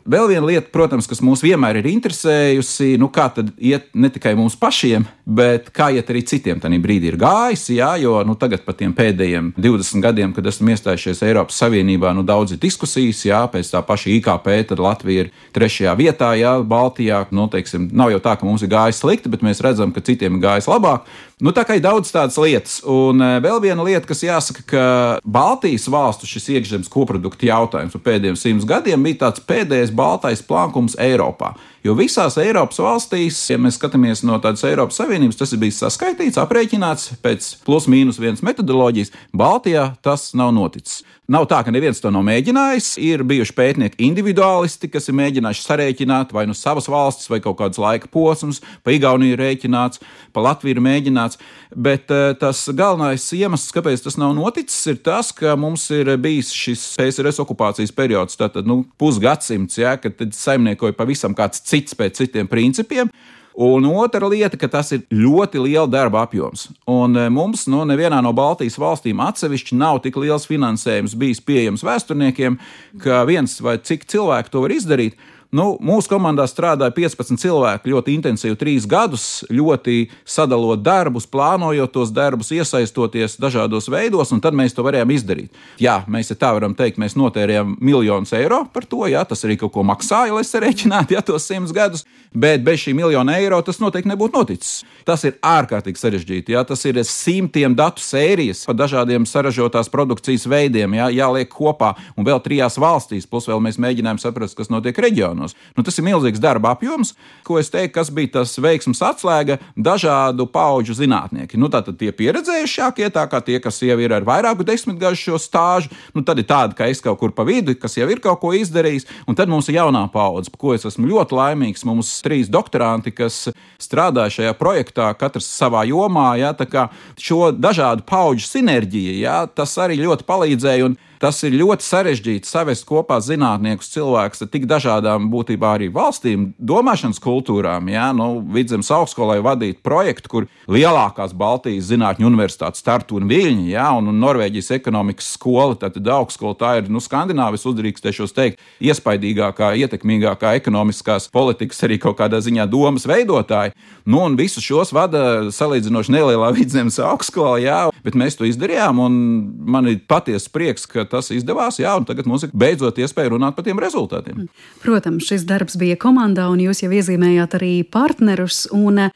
Vēl viena lieta, protams, kas mūs vienmēr ir interesējusi, nu kā tad iet ne tikai mums pašiem, bet kā iet arī citiem tajā brīdī ir gājis, jā, jo nu, tagad pat tiem pēdējiem divdesmit gadiem, kad esam iestājušies Eiropas Savienībā, nu daudz ir diskusijas, jā, pēc tā paša I K P, tad Latvija ir trešajā vietā, jā, Baltijā, nu, teiksim, nav jau tā, ka mums ir gājis slikti, bet mēs redzam, ka citiem ir gājis labāk. Nu, tā kā ir daudz tādas lietas, un vēl viena lieta, kas jāsaka, ka Baltijas valstu šis iekšzemes koprodukta jautājums par pēdējiem simts gadiem bija tāds pēdējais baltais plankums Eiropā. Jo visās Eiropas valstīs, ja mēs skatāmies no tādas Eiropas Savienības, tas ir bijis saskaitīts, aprēķināts pēc plus mīnus vienas metodoloģijas. Baltijā tas nav noticis. Nav tā, ka neviens to nav mēģinājis. Ir bijuši pētnieki individuālisti, kas ir mēģinājuši sarēķināt vai nu savas valstis, vai kaut kādas laika posmus, pa Igauniju rēķināts, pa Latviju mēģināts. Bet tas galvenais iemesls, kāpēc tas nav noticis, ir tas, ka mums ir bijis šis P S R S okupācijas periods, tātad nu, pusgadsimts, ja, kad saimniekoja pavisam kāds cits pēc citiem principiem. Un otra lieta, ka tas ir ļoti liela darba apjoms. Un mums no nevienā no Baltijas valstīm atsevišķi nav tik liels finansējums bijis pieejams vēsturniekiem, ka viens vai cik cilvēku to var izdarīt. Nu, mūsu komandā strādāja piecpadsmit cilvēki ļoti intensīvi trīs gadus, ļoti sadalot darbus, plānojot tos darbus, iesaistoties dažādos veidos, un tad mēs to varējām izdarīt. Jā, mēs tā varam teikt, mēs notērējām miljonus eiro par to, jā, tas arī kaut ko maksāja, lai sarēķinātu, jā, tos simts gadus, bet bez šī miljona eiro tas noteikti nebūtu noticis. Tas ir ārkārtīgi sarežģīti, jā, tas ir simtiem datu sērijas par dažādiem saražotās produkcijas veidiem, jā, jāliek kopā, un vēl trijās valstīs, plus vēl mēs mēģinājām saprast, kas notiek reģionā. Nu, tas ir milzīgs darba apjoms, ko es teiktu, kas bija tas veiksmes atslēga dažādu paudžu zinātnieki. Nu, tātad tie pieredzējušākie, tā kā tie, kas jau ir ar vairāku desmitgažu šo stāžu, nu, tad ir tādi, ka es kaut kur pa vidu, kas jau ir kaut ko izdarījis, un tad mums ir jaunā paudze, par ko es esmu ļoti laimīgs. Mums trīs doktoranti, kas strādāja šajā projektā, katrs savā jomā, jā, tā kā šo dažādu paudžu sinerģiju, jā, tas arī ļoti palīdzēja, un Tas ir ļoti sarežģīti savest kopā zinātniekus, cilvēkus ar tik dažādām būtībā arī valstīm, domāšanas kultūrām. Jā, nu, Vidzemes augstskolai vadīt projektu, kur lielākās Baltijas zinātņu universitātes Tartu un Viļņi, jā, un, un Norvēģijas ekonomikas skola, tātad augstskola, tā ir, nu, Skandināvijas uzdrīkstēšos teikt, iespaidīgākā, ietekmīgākā ekonomiskās politikas arī kaut kādā ziņā domas veidotāji. Nu, un visus šos vada salīdzinoši nelielā Vidzemes augstskola, jā, bet mēs to izdarījām, un man ir patiesa prieks, ka tas izdevās, jā, un tagad mums ir beidzot iespēja runāt par tiem rezultātiem. Protams, šis darbs bija komandā, un jūs jau iezīmējāt arī partnerus, un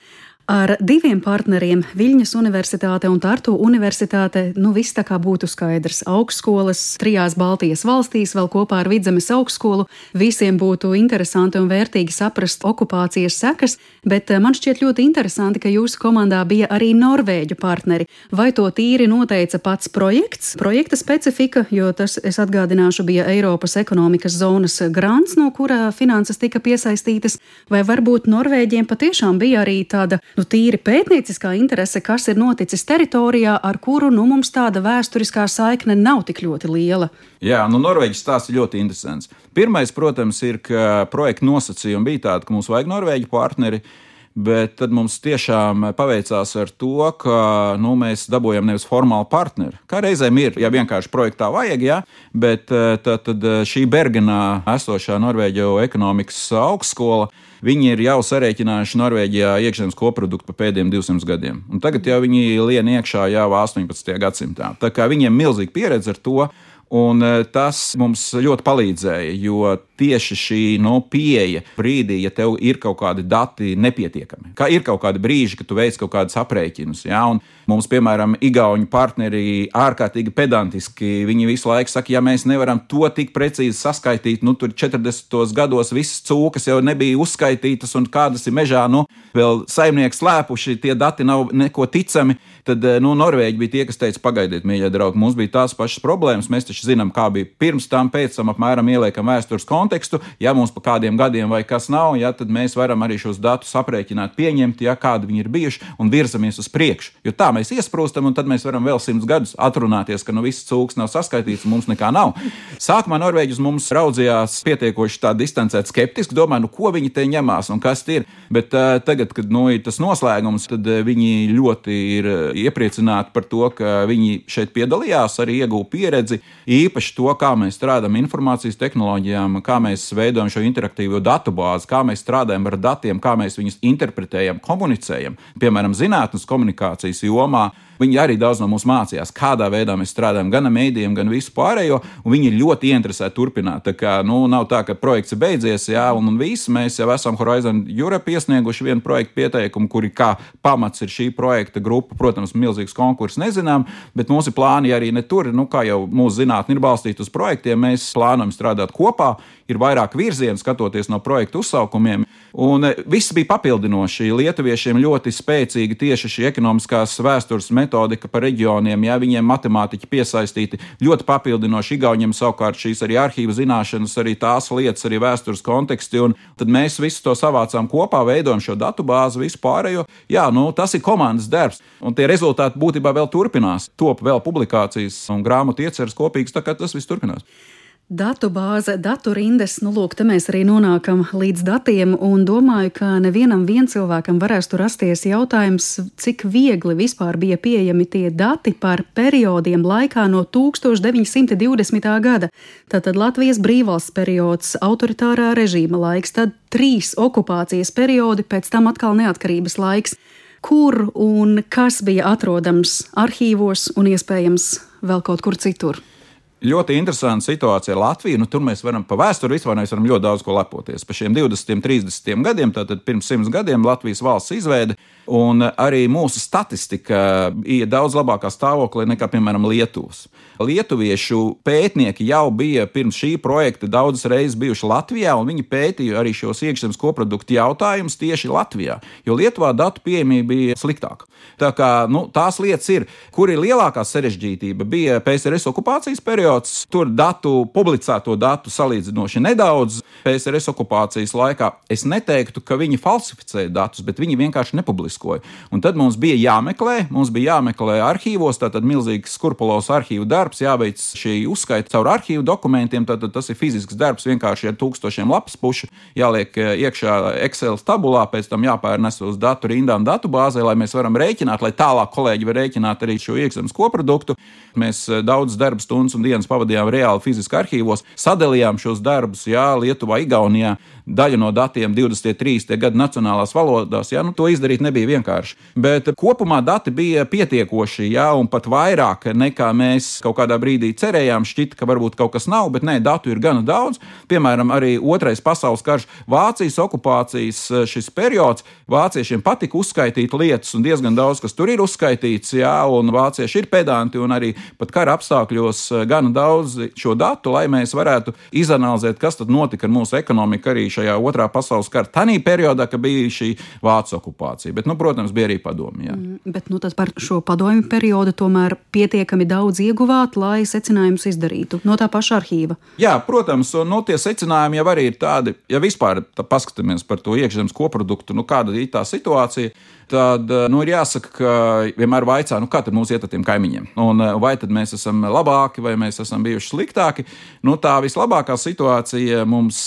ar diviem partneriem, Viļņas universitāte un Tartu universitāte, nu viss tā kā būtu skaidrs. Augstskolas trijās Baltijas valstīs, vēl kopā ar Vidzemes augstskolu, visiem būtu interesanti un vērtīgi saprast okupācijas sekas, bet man šķiet ļoti interesanti, ka jūsu komandā bija arī norvēģu partneri. Vai to tīri noteica pats projekts, projekta specifika, jo tas, es atgādināšu, bija Eiropas ekonomikas zonas grants, no kura finanses tika piesaistītas, vai varbūt Norvēģiem patiešām bija arī tāda nu, tīri pētnieciskā interese, kas ir noticis teritorijā, ar kuru nu, mums tāda vēsturiskā saikne nav tik ļoti liela. Jā, nu Norvēģis stāsts ir ļoti interesants. Pirmais, protams, ir, ka projekta nosacījumi bija tādi, ka mums vajag Norvēģu partneri, bet tad mums tiešām paveicās ar to, ka nu, mēs dabūjam nevis formālu partneri. Kā reizēm ir, ja vienkārši projektā vajag, jā, bet tad, tad šī Bergenā esošā Norvēģu ekonomikas augstskola, viņi ir jau sarēķinājuši Norvēģijā iekšzemes koproduktu pa pēdējiem divsimt gadiem. Un tagad jau viņi lien iekšā jau astoņpadsmitajā gadsimtā. Tā kā viņiem milzīga pieredze ar to, un tas mums ļoti palīdzēja, jo tieši šī no, pieeja brīdī, ja tev ir kaut kādi dati nepietiekami, kā ir kaut kādi brīži, kad tu veic kaut kādus aprēķinus, jā, un mums, piemēram, igauņu partneri ārkārtīgi pedantiski, viņi visu laiku saka, ja mēs nevaram to tik precīzi saskaitīt, nu, tur četrdesmitajos gados visas cūkas jau nebija uzskaitītas, un kādas ir mežā, nu, vēl saimnieki slēpuši, tie dati nav neko ticami, tad, nu, Norvēģi bija tie, kas teica, pagaidiet, mīļie draugi, mums bija tās pašas problēmas, mēs taču zinām, kā bija pirms tam, pēc tam apmēram ieliekam vēstures kontekstu, ja mums pa kādiem gadiem vai kas nav, ja, tad mēs varam arī šos datus aprēķināt, pieņemt, ja kādi viņi ir bijuši un virzamies uz priekšu. Jo tā mēs iesprūstam, un tad mēs varam vēl simts gadus atrunāties, ka nu viss cūks nav saskaitīts un mums nekā nav. Sākumā Norvēģis mums raudzījās pietiekoši tā distancēt skeptiski, domāju, nu ko viņi te ņemās un kas ir, bet uh, tagad, kad nu, ir tas noslēgums, tad uh, viņi ļoti ir iepriecināti par to, ka viņi šeit piedalījās, arī ieguva pieredzi, īpaši to, kā mēs strādājam informācijas tehnoloģijām, kā mēs veidojam šo interaktīvo datubāzi, kā mēs strādājam ar datiem, kā mēs viņus interpretējam, komunicējam, piemēram, zinātnes komunikācijas jomā. Viņi arī daudz no mums mācījās, kādā veidā mēs strādājam gan ar mēdījiem, gan visu pārējo, un viņi ir ļoti ieinteresēti turpināt. Tā kā, nu, nav tā, ka projekts ir beidzies, jā, un, un viss, mēs jau esam Horizon Europe iesnieguši vienu projektu pieteikumu, kuri kā pamats ir šī projekta grupa, protams, milzīgs konkurss nezinām, bet mums ir plāni arī ne tur, nu, kā jau mūsu zinātne ir balstīta uz projektiem, mēs plānojam strādāt kopā, ir vairāk virzienu skatoties no projektu uzsaukumiem, un viss bija papildinoši. Lietuviešiem ļoti spēcīgi tieši šī ekonomiskās vēstures metodika par reģioniem, ja viņiem matemātiķi piesaistīti, ļoti papildinoši. Igauņiem savukārt šīs arī arhīva zināšanas, arī tās lietas, arī vēstures konteksti, un tad mēs visu to savācām kopā, veidojam šo datubāzi, visu pārējo. Jā, nu, tas ir komandas darbs, un tie rezultāti būtībā vēl turpinās. Top vēl publikācijas un grāmatu ieceras kopīgas, tā kā tas viss turpinās. Datu bāze, datu rindas, nu lūk, te mēs arī nonākam līdz datiem un domāju, ka nevienam vien cilvēkam varēs tur rasties jautājums, cik viegli vispār bija pieejami tie dati par periodiem laikā no tūkstoš deviņi simti divdesmitā gada. Tātad Latvijas brīvvalsts periods, autoritārā režīma laiks, tad trīs okupācijas periodi, pēc tam atkal neatkarības laiks. Kur un kas bija atrodams arhīvos un iespējams vēl kaut kur citur? Ļoti interesanta situācija Latvija. Nu, tur mēs varam pa vēsturi vispār mēs varam ļoti daudz ko lepoties. Pa šiem divdesmitiem, trīsdesmitiem gadiem, tātad pirms simts gadiem Latvijas valsts izveide, un arī mūsu statistika ir daudz labākā stāvoklī nekā, piemēram, Lietuvas. Lietuviešu pētnieki jau bija pirms šī projekta daudzas reizes bijuši Latvijā, un viņi pētīja arī šos iekšzemes koproduktu jautājumus tieši Latvijā, jo Lietuvā datu pieejamība bija sliktāka. Tā kā, nu, tās lietas ir, kur ir lielākā sarežģītība, bija P S R S okupācijas periods, periods, tur datu, publicēto datu salīdzinoši nedaudz. P S R S okupācijas laikā es neteiktu, ka viņi falsificēja datus, bet viņi vienkārši nepubliskoja. Un tad mums bija jāmeklē, mums bija jāmeklē arhīvos, tātad milzīgs skrupulos arhīvu darbs, jāveic šī uzskaita caur arhīvu dokumentiem, tātad tas ir fizisks darbs, vienkārši ar tūkstošiem lapas pušu, jāliek iekšā Excel tabulā, pēc tam jāpērnes uz datu rindām datubāzē, lai mēs varam rēķināt, lai tālāk kolēģi var rēķināt arī šo iekšzemes koproduktu. Mēs daudz darba stundas un dienas pavadījām reāli fiziski arhīvos, sadalījām šos darbus, jā, Lietuvā, Igaunijā, daļa no datiem divdesmit trīs gadu nacionālās valodās, jā, nu to izdarīt nebija vienkārši. Bet kopumā dati bija pietiekoši, jā, un pat vairāk nekā mēs kaut kādā brīdī cerējām, šķita, ka varbūt kaut kas nav, bet nē, datu ir gana daudz. Piemēram, arī otrais pasaules karš, Vācijas okupācijas šis periods, vāciešiem patika uzskaitīt lietas, un diezgan daudz, kas tur ir uzskaitīts, jā, un vācieši ir pedanti, un arī pat kara apstākļos gana daudz šo datu, lai mēs varētu izanalizēt, kas tad notika ar mūsu ekonomiku arī šajā otrā pasaules kara tanī periodā, ka bija šī Vācu okupācija. Bet, nu, protams, bija arī padomi. Jā. Mm, bet, nu, tad par šo padomju periodu tomēr pietiekami daudz ieguvāt, lai secinājumus izdarītu no tā paša arhīva. Jā, protams, un no tie secinājumi jau arī ir tādi, ja vispār paskatāmies par to iekšzemes koproduktu, nu, kāda ir tā situācija, tad, nu, ir jāsaka, ka vienmēr vaicā, nu, kā tad mums iet ar tiem kaimiņiem? Un vai tad mēs esam labāki, vai mēs esam bijuši sliktāki? Nu, tā vislabākā situācija mums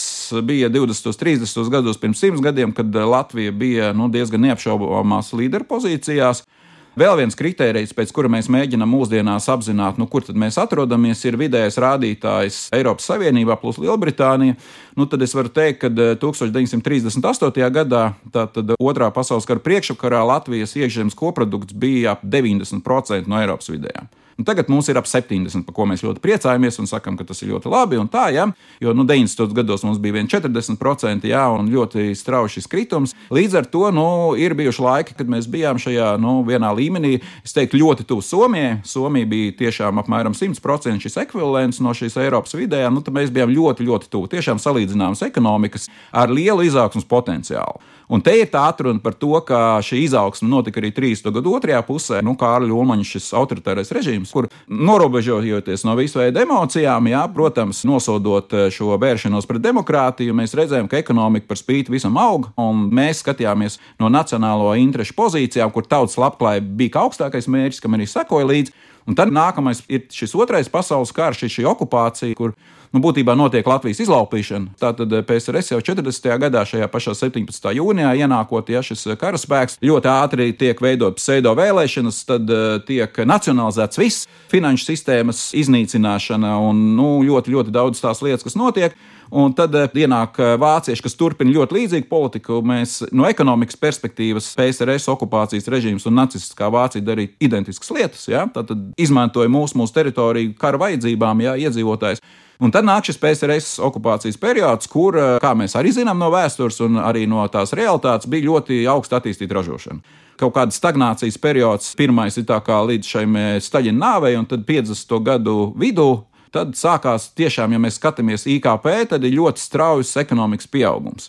bija divdesmitos, trīsdesmitos gados pirms simts gadiem, kad Latvija bija, nu, diezgan neapšaubāmās līderu pozīcijās. Vēl viens kritērijs, pēc kura mēs mēģinām mūsdienās apzināt, nu, kur tad mēs atrodamies, ir vidējais rādītājs Eiropas Savienībā plus Lielbritānija. Nu, tad es varu teikt, ka deviņdesmit trīsdesmit astotajā gadā, tātad otrā pasaules kara priekšvakarā, Latvijas iekšzemes koprodukts bija ap deviņdesmit procenti no Eiropas vidējām. Un tagad mums ir ap septiņdesmit, par ko mēs ļoti priecājamies un sakam, ka tas ir ļoti labi un tā, ja? Jo nu, deviņdesmitos gados mums bija vien četrdesmit procenti, jā, un ļoti strauji šis kritums. Līdz ar to, nu, ir bijuši laiki, kad mēs bijām šajā, nu, vienā līmenī, es teiktu, ļoti tuvu Somijai. Somija bija tiešām apmēram simt procenti šis ekvivalents no šīs Eiropas vidējām, nu, tad mēs bijām ļoti, ļoti tuvu. Tiešām salīdzināmas ekonomikas ar lielu izaugsmas potenciālu. Un te ir tā atruna par to, ka šī izaugsme notika arī trīsdesmito gadu otrajā pusē, nu, Kārļa Ulmaņa šis autoritārais režīms, kur norobežojoties no visu veidu emocijām, jā, protams, nosodot šo vēršanos pret demokrātiju, mēs redzējām, ka ekonomika par spīti visam aug, un mēs skatījāmies no nacionālo interešu pozīcijām, kur tautas labklājība bija kā augstākais mērķis, kam arī sekoja līdzi. Un tad nākamais ir šis otrais pasaules karš, šī okupācija, kur nu, būtībā notiek Latvijas izlaupīšana. Tātad P S R S jau četrdesmitajā gadā, šajā pašā septiņpadsmitā jūnijā ienākot, ja šis karaspēks ļoti ātri tiek veidot pseido vēlēšanas, tad uh, tiek nacionalizēts viss, finanšu sistēmas iznīcināšana un nu, ļoti, ļoti daudz tās lietas, kas notiek. Un tad ienāk vācieši, kas turpina ļoti līdzīgu politiku. Mēs no ekonomikas perspektīvas P S R S okupācijas režīms un nacistiskā Vācija darīja identiskas lietas. Ja? Tātad izmantoja mūsu, mūsu teritoriju kara vajadzībām, ja, iedzīvotājs. Un tad nāk šis P S R S okupācijas periods, kur, kā mēs arī zinām no vēstures un arī no tās realitātes, bija ļoti augsta attīstīta ražošana. Kaut kāda stagnācijas periods, pirmais ir tā kā līdz šim Staļina nāvei, un tad piecdesmito gadu vidū. Tad sākās tiešām, ja mēs skatāmies I K P, tad ir ļoti straujas ekonomikas pieaugums.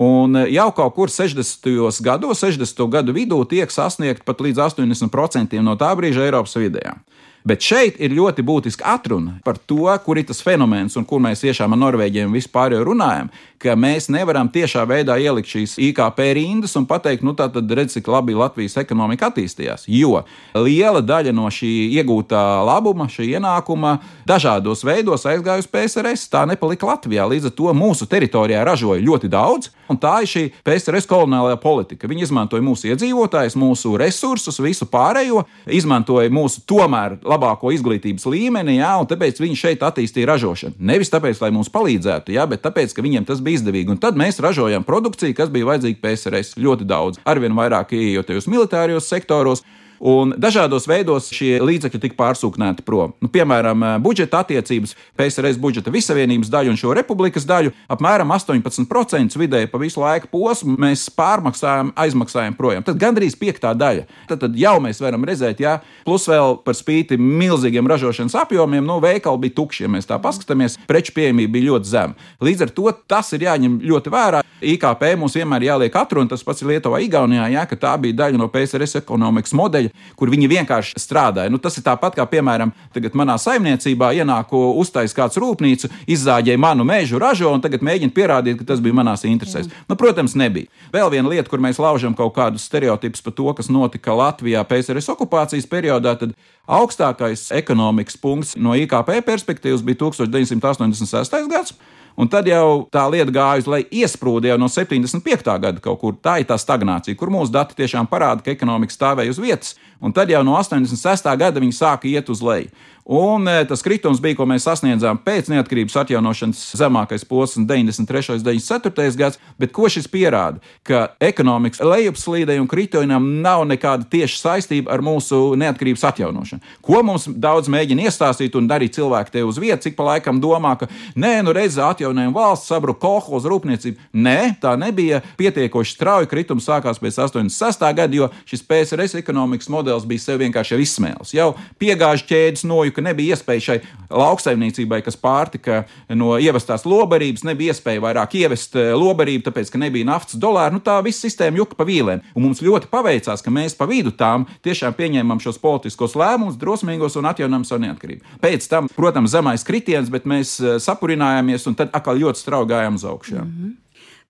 Un jau kaut kur sešdesmitajos gados, sešdesmito gadu vidū tiek sasniegt pat līdz astoņdesmit procenti no tā brīža Eiropas vidējām. Bet šeit ir ļoti būtiska atruna par to, kur ir tas fenomens un kur mēs tiešām ar Norvēģiem vispār jau runājam, ka mēs nevaram tiešā veidā ielikt šīs I K P rindas un pateikt, nu tā tad redz, cik labi Latvijas ekonomika attīstījās. Jo liela daļa no šī iegūtā labuma, šī ienākuma dažādos veidos aizgāja uz P S R S. Tā nepalika Latvijā. Līdz ar to mūsu teritorijā ražoja ļoti daudz, un tā ir šī P S R S koloniālajā politika. Viņi izmantoja mūsu iedzīvotājus, mūsu resursus, visu pārējo, izmantoja mūsu tomēr labāko izglītības līmeni, jā, un tāpēc viņi šeit attīstīja ražošanu. Nevis tāpēc, lai mums palīdzētu, jā, bet tāpēc, ka viņiem tas bija izdevīgi. Un tad mēs ražojam produkciju, kas bija vajadzīga P S R S ļoti daudz. Arvien vairāk ieejotajos militārijos sektoros. Un dažādos veidos šie līdzekļi tika pārsūknēti prom. Nu, piemēram, budžeta attiecības, P S R S budžeta vissavienības daļu un šo republikas daļu apmēram astoņpadsmit procenti vidēji pa visu laiku posmu mēs pārmaksājam, aizmaksājam projām. Tad gandrīz piektā daļa. Tad, tad jau mēs varam redzēt, jā, plus vēl par spīti milzīgiem ražošanas apjomiem, nu, veikali bija tukši, ja mēs tā paskatāmies, preču pieejamība bija ļoti zema. Līdz ar to tas ir jāņem ļoti vērā. I K P mums vienmēr jāliek atruna, tas pats ir Lietuvā, Igaunijā, jā, ka tā bija daļa no P S R S ekonomikas modeļa. kur viņi vienkārši strādāja. Nu, tas ir tāpat kā, piemēram, tagad manā saimniecībā ienāku uztais kāds rūpnīcu, izzāģēja manu mežu, ražo un tagad mēģina pierādīt, ka tas bija manās interesēs. Nu, protams, nebija. Vēl viena lieta, kur mēs laužam kaut kādus stereotipus par to, kas notika Latvijā P S R S okupācijas periodā, tad augstākais ekonomikas punkts no I K P perspektīvas bija tuksneša deviņsimt astoņdesmit sestais gads. Un tad jau tā lieta gāja, lai iesprūda jau no septiņdesmit piektā gada kaut kur. Tā ir tā stagnācija, kur mūsu dati tiešām parāda, ka ekonomika stāvēja uz vietas. Un tad jau no astoņdesmit sestā gada viņi sāka iet uz leju. Un tas kritums bija, ko mēs sasniedzām pēc neatkarības atjaunošanas zemākais posms deviņdesmit trešais deviņdesmit ceturtais gads, bet ko šis pierāda? Ka ekonomikas lejupslīdei un kritumam nav nekāda tieša saistība ar mūsu neatkarības atjaunošanu. Ko mums daudz mēģina iestāstīt un darīt cilvēki te uz vietas, cik pa laikam domā, ka nē, nu redz, atjaunojam valsts, sabruka kolhoza rūpniecība. Nē, tā nebija pietiekoši strauji, kritums sākās pēc astoņdesmit sestā gada, jo šis P S R S ekonomikas modelis bija sev vienkārši jau izsmēlis. Jau piegāžu ķēdes noju, ka nebija iespēja šai lauksaimniecībai, kas pārtika no ievestās lobarības, nebija iespēja vairāk ievest lobarību, tāpēc, ka nebija naftas dolāru. Nu, tā visa sistēma juka pa vīlēm. Un mums ļoti paveicās, ka mēs pa vidu tām tiešām pieņēmām šos politiskos lēmumus, drosmīgos un atjaunojam savu neatkarību. Pēc tam, protams, zemais kritiens, bet mēs sapurinājāmies un tad atkal ļoti strauji gājām uz augšu. Mm-hmm.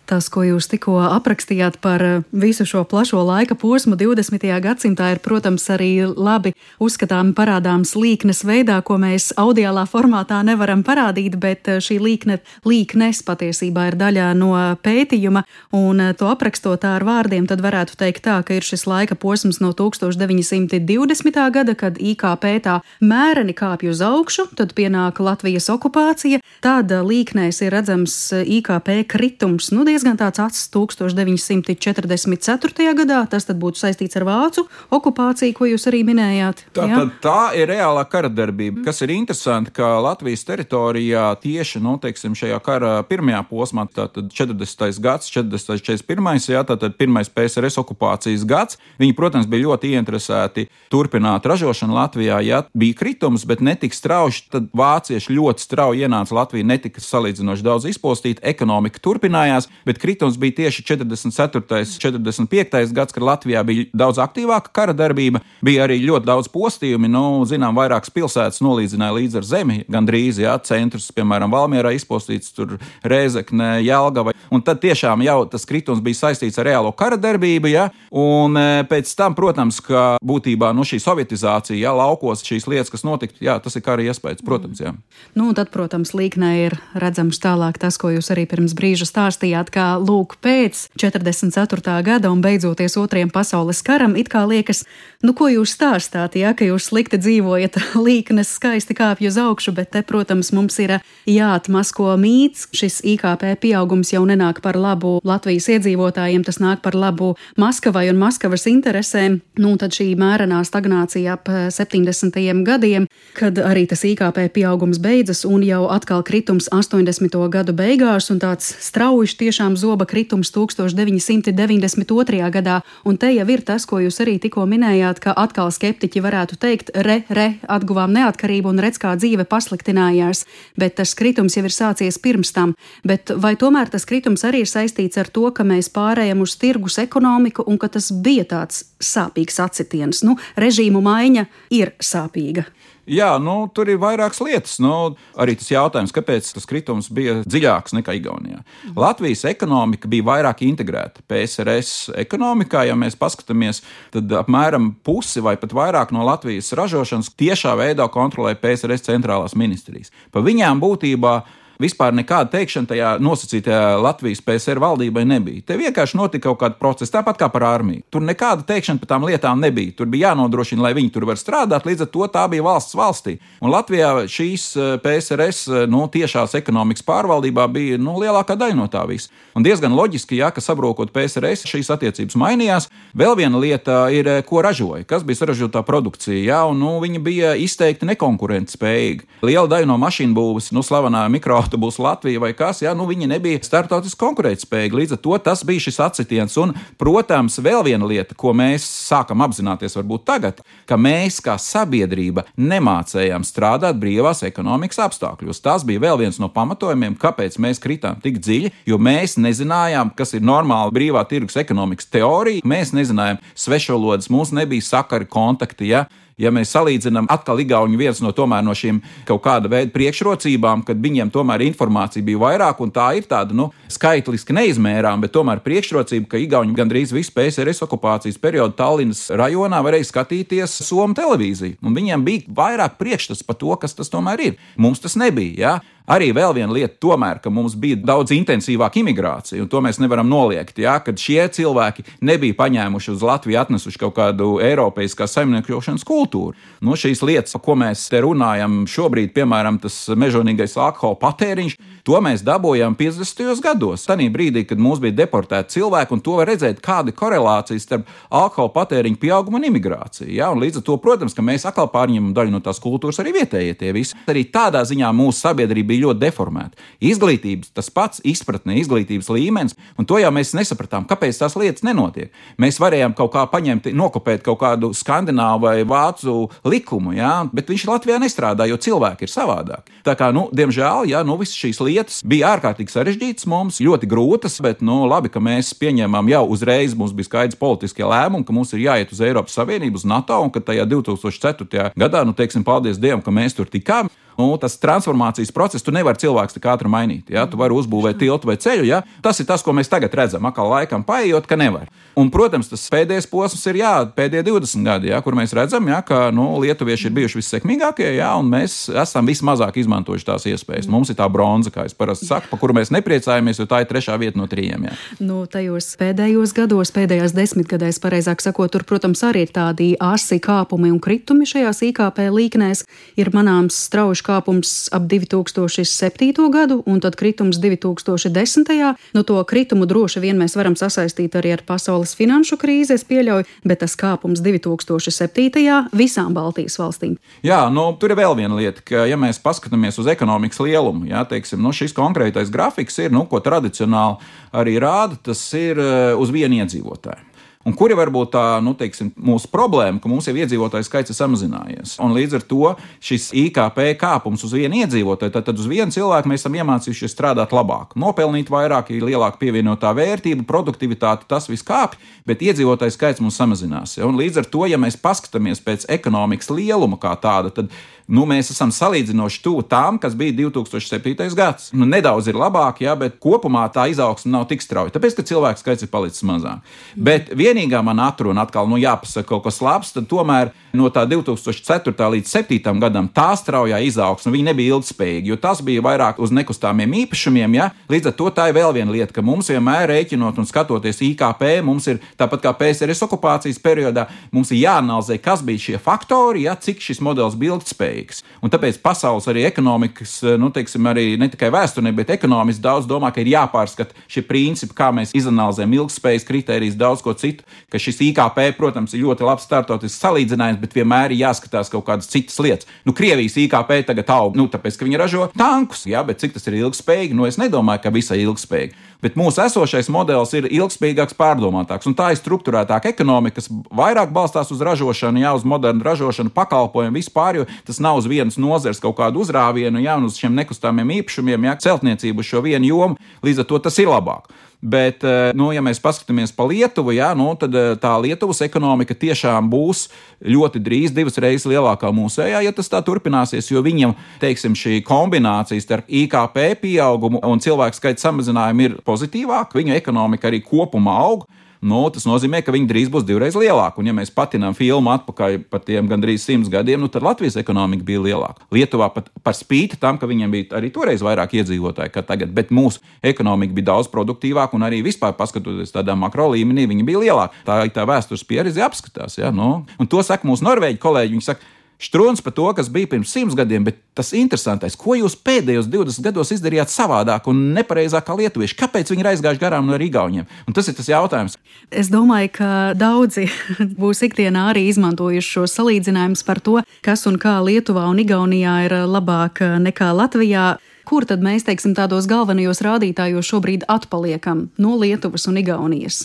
Tas, ko jūs tikko aprakstījāt par visu šo plašo laika posmu divdesmitajā gadsimtā, ir, protams, arī labi uzskatāmi parādāms līknes veidā, ko mēs audiālā formātā nevaram parādīt, bet šī līkne, līknes patiesībā ir daļā no pētījuma, un to aprakstot ar vārdiem, tad varētu teikt tā, ka ir šis laika posms no tūkstoš deviņi simti divdesmitā gada, kad I K P tā mēreni kāpj uz augšu, tad pienāk Latvijas okupācija, tad līknēs ir redzams I K P kritums, nu, diezgan tāds acs tūkstoš deviņi simti četrdesmit ceturtajā gadā, tas tad būtu saistīts ar vācu okupāciju, ko jūs arī minējāt. Tā, tā, tā ir reālā kara darbība, mm. kas ir interesanti, ka Latvijas teritorijā tieši, nu, teiksim, šajā kara pirmajā posmā, tātad četrdesmitais gads, četrdesmitais, četrdesmit pirmais, jā, tātad pirmais P S R S okupācijas gads, viņi, protams, bija ļoti ieinteresēti turpināt ražošanu Latvijā, ja bija kritums, bet netika strauji, tad vācieši ļoti strauji ienāca Latviju, netika salīdzinoši daudz izpostīta, ekonomika turpinājās, bet kritums bija tieši četrdesmit ceturtais, četrdesmit piektais gads, kad Latvijā bija daudz aktīvāka kara darbība, bija arī ļoti daudz postījumi, nu, zinām, vairākas pilsētas nolīdzināja līdz ar zemi, gandrīz, jā, centrs, piemēram, Valmierā izpostīts, tur Rēzekne, Jelgava, un tad tiešām jau tas kritums bija saistīts ar reālo kara darbību, jā, un pēc tam, protams, ka būtībā, nu, šī sovietizācija, jā, laukos šīs lietas, kas notika, jā, tas ir kara iespējas, protams, jā. Nu, tad, protams, līknē ir redzams tālāk tas, ko jūs arī pirms brīža stāstījāt, kā lūk pēc četrdesmit ceturtā gada un beidzoties otrajam pasaules karam, it kā liekas, nu ko jūs stāstāt, ja, ka jūs slikti dzīvojat, līknes skaisti kāpj uz augšu, bet te, protams, mums ir jāatmasko mīts. Šis I K P pieaugums jau nenāk par labu Latvijas iedzīvotājiem, tas nāk par labu Maskavai un Maskavas interesēm. Nu, tad šī mērenā stagnācija ap septiņdesmitajiem gadiem, kad arī tas I K P pieaugums beidzas un jau atkal kritums astoņdesmito gadu beigās un tāds strauji tiešām zoba kritums tūkstoš deviņi simti deviņdesmit otrajā gadā, un te jau ir tas, ko jūs arī tikko minējāt, ka atkal skeptiķi varētu teikt, re, re, atguvām neatkarību un redz, kā dzīve pasliktinājās, bet tas kritums jau ir sācies pirms tam. Bet vai tomēr tas kritums arī ir saistīts ar to, ka mēs pārējām uz tirgus ekonomiku un ka tas bija tāds sāpīgs atsitiens? Nu, režīmu maiņa ir sāpīga. Jā, nu, tur ir vairākas lietas. Nu, arī tas jautājums, kāpēc tas kritums bija dziļāks nekā Igaunijā. Mm. Latvijas ekonomika bija vairāk integrēta. P S R S ekonomikā, ja mēs paskatāmies, tad apmēram pusi vai pat vairāk no Latvijas ražošanas tiešā veidā kontrolē P S R S centrālās ministrijas. Pa viņām būtībā vispār nekāda teikšana tajā nosacītajā Latvijas P S R valdībai nebija. Te vienkārši notika kaut kāda procesa, tāpat kā par armiju. Tur nekāda teikšana par tām lietām nebija. Tur bija jānodrošina, lai viņi tur var strādāt, līdz ar to tā bija valsts valstī. Un Latvijā šīs P S R S nu, tiešās ekonomikas pārvaldībā bija nu, lielākā daļa no tā visa. Un diezgan loģiski, ja, ka sabrokot P S R S, šīs attiecības mainījās. Vēl viena lieta ir, ko ražoja, kas bija saražotā produkcija, ja, un nu, viņa bija izteikti nekonkurentspējīga. Liela daļa no mašīnu būves, nu, slavenā mikro autobusu Latvija vai kas, jā, nu viņi nebija starptautiski konkurētspējīgi. Līdz ar to tas bija šis atsitiens. Un, protams, vēl viena lieta, ko mēs sākam apzināties varbūt tagad, ka mēs kā sabiedrība nemācējām strādāt brīvās ekonomikas apstākļos. Tas bija vēl viens no pamatojumiem, kāpēc mēs kritām tik dziļi, jo mēs nezinājām, kas ir normāla brīvā tirgus ekonomikas teorija. Mēs nezinājām svešvalodas, mums nebija sakari, kontakti, ja. Ja mēs salīdzinām atkal igauņu viens no tomēr no šīm kaut kāda veida priekšrocībām, kad viņiem tomēr informācija bija vairāk, un tā ir tāda, nu, skaitliski neizmērām, bet tomēr priekšrocība, ka igauņi gandrīz visu P S R S okupācijas periodu Tallinas rajonā varēja skatīties Somu televīziju, un viņiem bija vairāk priekšstats par to, kas tas tomēr ir. Mums tas nebija, jā. Arī vēl viena lieta tomēr, ka mums bija daudz intensīvāka imigrācija, un to mēs nevaram noliegt, ja, kad šie cilvēki nebija paņēmuši uz Latviju, atnesuši kaut kādu eiropeiskās saimniekošanas kultūru. Nu, šīs lietas, par ko mēs te runājam šobrīd, piemēram, tas mežonīgais alkohola patēriņš, to mēs dabūjām piecdesmitajos gados. Tanī brīdī, kad mums bija deportēti cilvēki, un to var redzēt, kāda ir korelācija starp alkohola patēriņu pieaugumu un imigrāciju. Ja, un līdz ar to, protams, ka mēs atkal pārņemam daļu no tās kultūras arī vietējie tie visi. Arī tādā ziņā mūsu sabiedrība bija ļoti deformēta. Izglītības, tas pats izpratne, izglītības līmenis, un to jau mēs nesapratām, kāpēc tās lietas nenotiek. Mēs varējām kaut kā paņemt, nokopēt kaut kādu skandināvu vai vācu likumu, ja, bet viņš Latvijā nestrādā, jo cilvēki ir savādāki. Tā kā, nu, diemžēl, ja, nu, visas šīs lietas bija ārkārtīgi sarežģītas mums, ļoti grūtas, bet, nu, labi, ka mēs pieņēmām jau uzreiz, mums bija skaidrs politiskie lēmumi, ka mums ir jāiet uz Eiropas Savienību, uz NATO, un ka tajā divi tūkstoši ceturtajā gadā, nu, teiksim, paldies Dievam, ka mēs tur tikām. Nu, tas transformācijas process, tu nevari cilvēks tik ātri mainīt. Ja? Tu vari uzbūvēt tiltu vai ceļu. Ja? Tas ir tas, ko mēs tagad redzam. Akal laikam paejot, ka nevar. Un, protams, tas pēdējais posms ir jā, pēdējie divdesmit gadi, ja? Kur mēs redzam, ja? Ka nu, lietuvieši ir bijuši vissekmīgākie, ja? Un mēs esam vismazāk izmantojuši tās iespējas. Mums ir tā bronza, kā es parasti saku, pa kuru mēs nepriecājamies, jo tā ir trešā vieta no trījiem. Ja? Nu, tajos pēdējos gados, pēdējās desmitgadēs, pareizāk sakot, tur, protams, arī ir tādi asi kāpumi un kritumi šajās I K P līknēs. Ir manāms strauji kāpums ap divi tūkstoši septīto gadu un tad kritums divi tūkstoši desmitajā. Nu, to kritumu droši vien mēs varam sasaistīt arī ar pasaules finanšu krīzi, es pieļauju, bet tas kāpums divi tūkstoši septītajā visām Baltijas valstīm. Jā, nu, tur ir vēl viena lieta, ka, ja mēs paskatāmies uz ekonomikas lielumu, jā, teiksim, nu, šis konkrētais grafiks ir, nu, ko tradicionāli arī rāda, tas ir uz vienu iedzīvotāju. Un kuri varbūt tā, nu, teiksim, mūsu problēma, ka mums jau iedzīvotāju skaits ir samazinājies. Un līdz ar to šis I K P kāpums uz vienu iedzīvotāju, tad, tad uz vienu cilvēku mēs esam iemācījušies strādāt labāk, nopelnīt vairāk, ir lielāka pievienotā vērtība, produktivitāte, tas viss kāpj, bet iedzīvotāju skaits mums samazinās. Ja? Un līdz ar to, ja mēs paskatāmies pēc ekonomikas lieluma kā tāda, tad nu, mēs esam salīdzinoši tuvu tām, kas bija divi tūkstoši septītais gads. Nu, nedaudz ir labāk, jā, bet kopumā tā izaugsme nav tik strauja, tāpēc, ka cilvēku skaits ir palicis mazāk. Mm. Bet vienīgā man atruna atkal, nu, jāpasaka kaut kas labs, tad tomēr no tā divi tūkstoši ceturtā līdz septītajam gadam tā straujā izaugsme, viņa nebija ilgspējīga, jo tas bija vairāk uz nekustāmiem īpašumiem, jā. Līdz ar to tā ir vēl viena lieta, ka mums vienmēr rēķinot un skatoties I K P, mums ir tāpat kā P S R S okupācijas periodā, mums ir jāanalizē, kas bija šie faktori, jā, cik šis modelis bija ilgspējīgs. Un tāpēc pasaules arī ekonomikas, nu, teiksim, arī ne tikai vēsturē, bet ekonomiski daudz domā, ka ir jāpārskata šie principi, kā mēs izanalizējam ilgspējas kritērijas, daudz ko citu, ka šis I K P, protams, ir ļoti labs startautisks salīdzinājums, bet vienmēr ir jāskatās kaut kādas citas lietas. Nu, Krievijas I K P tagad aug, nu, tāpēc, ka viņi ražo tankus, jā, bet cik tas ir ilgspējīgi, nu, es nedomāju, ka visai ilgspējīgi. Bet mūsu esošais modelis ir ilgspējīgāks, pārdomātāks, un tā ir strukturētāka ekonomika, kas vairāk balstās uz ražošanu, jā, uz modernu ražošanu, pakalpojumu, vispār, jo tas nav uz vienas nozares kaut kādu uzrāvienu, jā, un uz šiem nekustāmiem īpašumiem, jā, celtniecību uz šo vienu jomu, līdz ar to tas ir labāk. Bet, nu, ja mēs paskatāmies pa Lietuvu, jā, nu, tad tā Lietuvas ekonomika tiešām būs ļoti drīz divas reizes lielākā mūsējā, ja tas tā turpināsies, jo viņam, teiksim, šī kombinācija starp I K P pieaugumu un cilvēku skaita samazinājumu ir pozitīvāka, viņu ekonomika arī kopumā aug. Nu, tas nozīmē, ka viņi drīz būs divreiz lielāki. Un, ja mēs patinām filmu atpakaļ par tiem gandrīz simts gadiem, nu, tad Latvijas ekonomika bija lielāka. Lietuvā pat par spīti tam, ka viņiem bija arī toreiz vairāk iedzīvotāji kā tagad, bet mūsu ekonomika bija daudz produktīvāka un arī vispār paskatoties tādā makro līmenī, viņa bija lielāka. Tā ir tā vēstures pieredze apskatās. Ja? Nu, un to saka mūsu norvēģi kolēģi. Viņi saka, Štruns par to, kas bija pirms simts gadiem, bet tas interesantais, ko jūs pēdējos divdesmit gados izdarījāt savādāk un nepareizāk kā lietuvieši? Kāpēc viņi ir aizgājuši garām no igauņiem? Un tas ir tas jautājums. Es domāju, ka daudzi būs ikdienā arī izmantojuši šo salīdzinājumus par to, kas un kā Lietuvā un Igaunijā ir labāk nekā Latvijā. Kur tad mēs, teiksim, tādos galvenajos rādītājos šobrīd atpaliekam no Lietuvas un Igaunijas?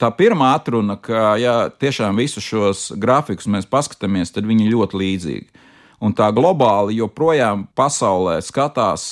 Tā pirmā atruna, ka, ja tiešām visus šos grafikus mēs paskatāmies, tad viņi ļoti līdzīgi. Un tā globāli joprojām pasaulē skatās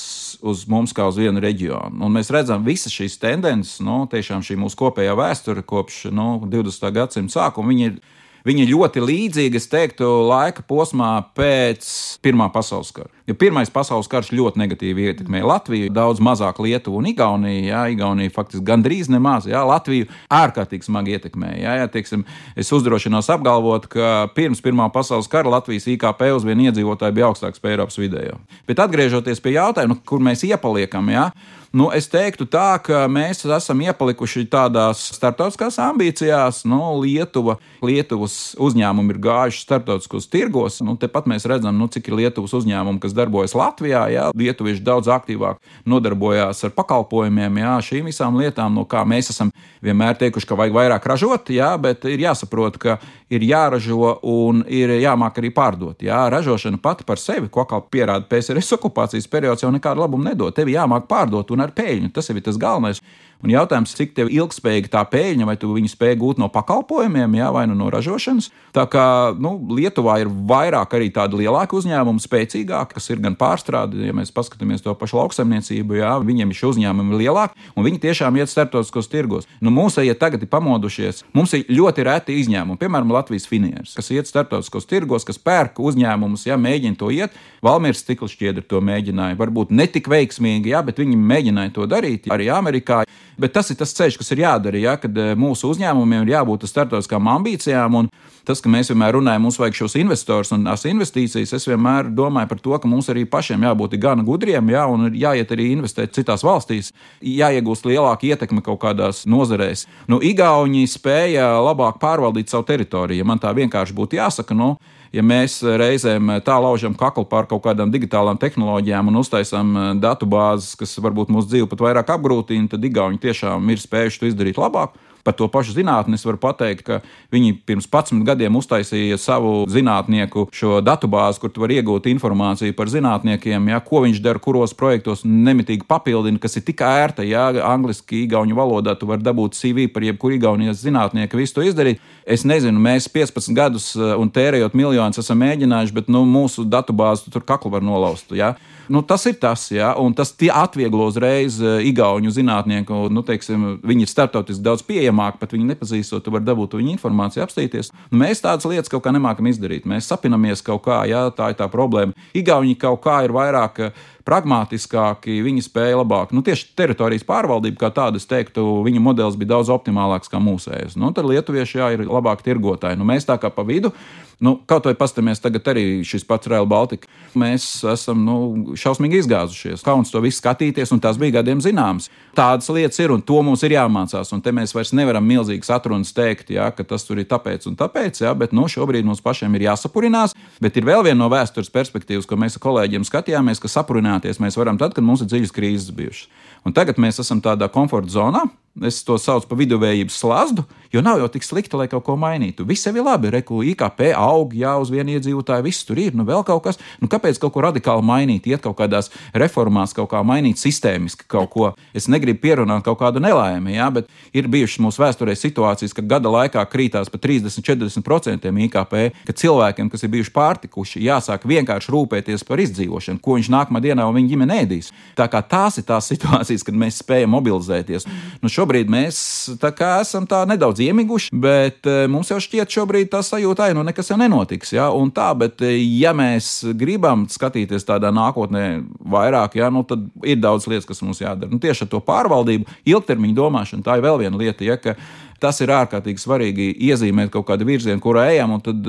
uz mums kā uz vienu reģionu. Un mēs redzam visas šīs tendences, nu, tiešām šī mūsu kopējā vēsture kopš nu, divdesmitā gadsimta sākuma, viņi ir Viņi ir ļoti līdzīgi, es teiktu, laika posmā pēc Pirmā pasaules kara. Jo Pirmais pasaules karš ļoti negatīvi ietekmēja Latviju, daudz mazāk Lietuvu un Igauniju. Jā, Igaunija faktiski gandrīz nemaz, jā, Latviju ārkārtīgi smagi ietekmēja. Jā, jā, teiksim, es uzdrošinos apgalvot, ka pirms Pirmā pasaules kara Latvijas I K P uz vienu iedzīvotāju bija augstāks par Eiropas vidējo. Bet atgriežoties pie jautājuma, kur mēs iepaliekam, jā, Nu, es teiktu tā, ka mēs esam iepalikuši tādās starptautiskās ambīcijās. Nu, Lietuva, Lietuvas uzņēmumi ir gājuši starptautiskos tirgos. Nu, tepat mēs redzam, nu, cik ir Lietuvas uzņēmumi, kas darbojas Latvijā. Jā. Lietuvieši daudz aktīvāk nodarbojās ar pakalpojumiem, jā, šīm visām lietām, no kā mēs esam vienmēr teikuši, ka vajag vairāk ražot, jā, bet ir jāsaprot, ka ir jāražo un ir jāmāk arī pārdot. Jā. Ražošana pati par sevi, ko kā pierāda P S R S okupācijas periods, jau nekādu labumu nedod. Tev jāmāk pārdot un ar peļņu. Tas ir tas galvenais. Un jautājums, cik tev ilgspējīga tā peļņa, vai tu viņu spēj gūt no pakalpojumiem, jā, vai nu no ražošanas. Tā kā nu, Lietuvā ir vairāk arī tādi lielāki uzņēmumi, spēcīgāki, kas ir gan pārstrādi, ja mēs paskatāmies to pašu lauksaimniecību, jā, viņiem šie uzņēmumi ir lielāki, un viņi tiešām iet starptautiskos tirgos. Nu, mūsējie tagad ir pamodušies. Mums ir ļoti reti izņēmumi, piemēram, Latvijas finieris, kas iet starptautiskos tirgos, kas pērk uzņēmumus, jā, mēģina to iet. Valmieras stikla šķiedra to mēģināja, varbūt ne tik veiksmīgi, jā, bet viņi mēģināja to darīt arī Amerikā. Bet tas ir tas ceļš, kas ir jādara, ja, kad mūsu uzņēmumiem ir jābūt starptautiskām ambīcijām. Un tas, ka mēs vienmēr runājam, mums vajag šos investors un tās investīcijas, es vienmēr domāju par to, ka mums arī pašiem jābūt gana gudriem, ja, un jāiet arī investēt citās valstīs, jāiegūst lielāka ietekme kaut kādās nozarēs. Nu, Igauni spēja labāk pārvaldīt savu teritoriju. Ja man tā vienkārši būtu jāsaka, nu, ja mēs reizēm tā laužam kaklu pār kaut kādām digitālām tehnoloģijām un uztaisām datubāzes, kas varbūt mūsu dzīvi pat vairāk apgrūtina, tad Igauni tiešām ir spējuši to izdarīt labāk. Par to pašu zinātni es varu pateikt, ka viņi pirms padsmit gadiem uztaisīja savu zinātnieku šo datubāzi, kur tu vari iegūt informāciju par zinātniekiem, ja, ko viņš dara, kuros projektos nemitīgi papildina, kas ir tik ērta, ja angliski, igauņu valodā tu vari dabūt C V par jebkuru igaunijas zinātnieku, visu to izdarīt. Es nezinu, mēs piecpadsmit gadus un tērējot miljonus esam mēģinājuši, bet nu, mūsu datubāzi tur kaklu var nolaust. Ja. Nu, tas ir tas, ja, un tas atvieglo uzreiz igauņu zinātnieku, nu, teiksim, viņi ir starptautiski daudz pieejamāki, pat viņi nepazīstot, tu vari dabūt viņu informāciju, apstīties. Nu, mēs tādas lietas kaut kā nemākam izdarīt. Mēs sapinamies kaut kā, ja, tā ir tā problēma. Igauņi kaut kā ir vairāk pragmātiskāki, viņi spēja labāk. Nu, tieši teritorijas pārvaldība, kā tāda, es teiktu, viņa modelis bija daudz optimālāks kā mūsējais. Nu, tad lietuvieši, jā, ir labāk tirgotāji. Nu, mēs tā kā pa vidu, nu, kaut vai pastamies tagad arī šis pats Rail Baltica. Mēs esam, nu, šausmīgi izgāzušies. Kauns to visu skatīties, un tās bija gadiem zināmas. Tādas lietas ir, un to mums ir jāmācās, un te mēs vairs nevaram milzīgas atrunas teikt, jā, ka tas tur ir tāpēc un tāpēc, jā, bet, nu, šobrīd mums pašiem ir jāsapurinās, bet ir vēl viena no vēstures perspektīvas, ko mēs ar kolēģiem skatījāmies, ka sapurināties mēs varam tad, kad mums ir dziļas krīzes bijušas. Un tagad mēs esam tādā komforta zonā. Es to saucu par viduvējības slazdu, jo nav jau tik slikti, lai kaut ko mainītu. Viss jau ir labi, reku I K P aug, jā, uz vienu iedzīvotāju, viss tur ir, nu vēl kaut kas. Nu kāpēc kaut ko radikāli mainīt, iet kaut kādās reformās, kaut kā mainīt sistēmiski kaut ko? Es negribu pierunāt kaut kādu nelaimi, jā, bet ir bijušas mūsu vēsturē situācijas, ka gada laikā krītās pa trīsdesmit līdz četrdesmit procentiem I K P, ka cilvēkiem, kas ir bijuši pārtikuši, jāsāk vienkārši rūpēties par izdzīvošanu, ko viņš nākamā dienā un viņa ģimene ēdīs. Tā kā tās ir tās situācijas, kad mēs spējam mobilizēties. Nu, šobrīd mēs tā kā esam tā nedaudz iemiguši, bet mums jau šķiet šobrīd tā sajūta, nu nekas jau nenotiks, ja, un tā, bet ja mēs gribam skatīties tādā nākotnē vairāk, ja, nu tad ir daudz lietas, kas mums jādara. Nu, tieši ar to pārvaldību, ilgtermiņu domāšanu, tā ir vēl viena lieta, ja, ka tas ir ārkārtīgi svarīgi iezīmēt kaut kādu virzienu, kurā ejam, un tad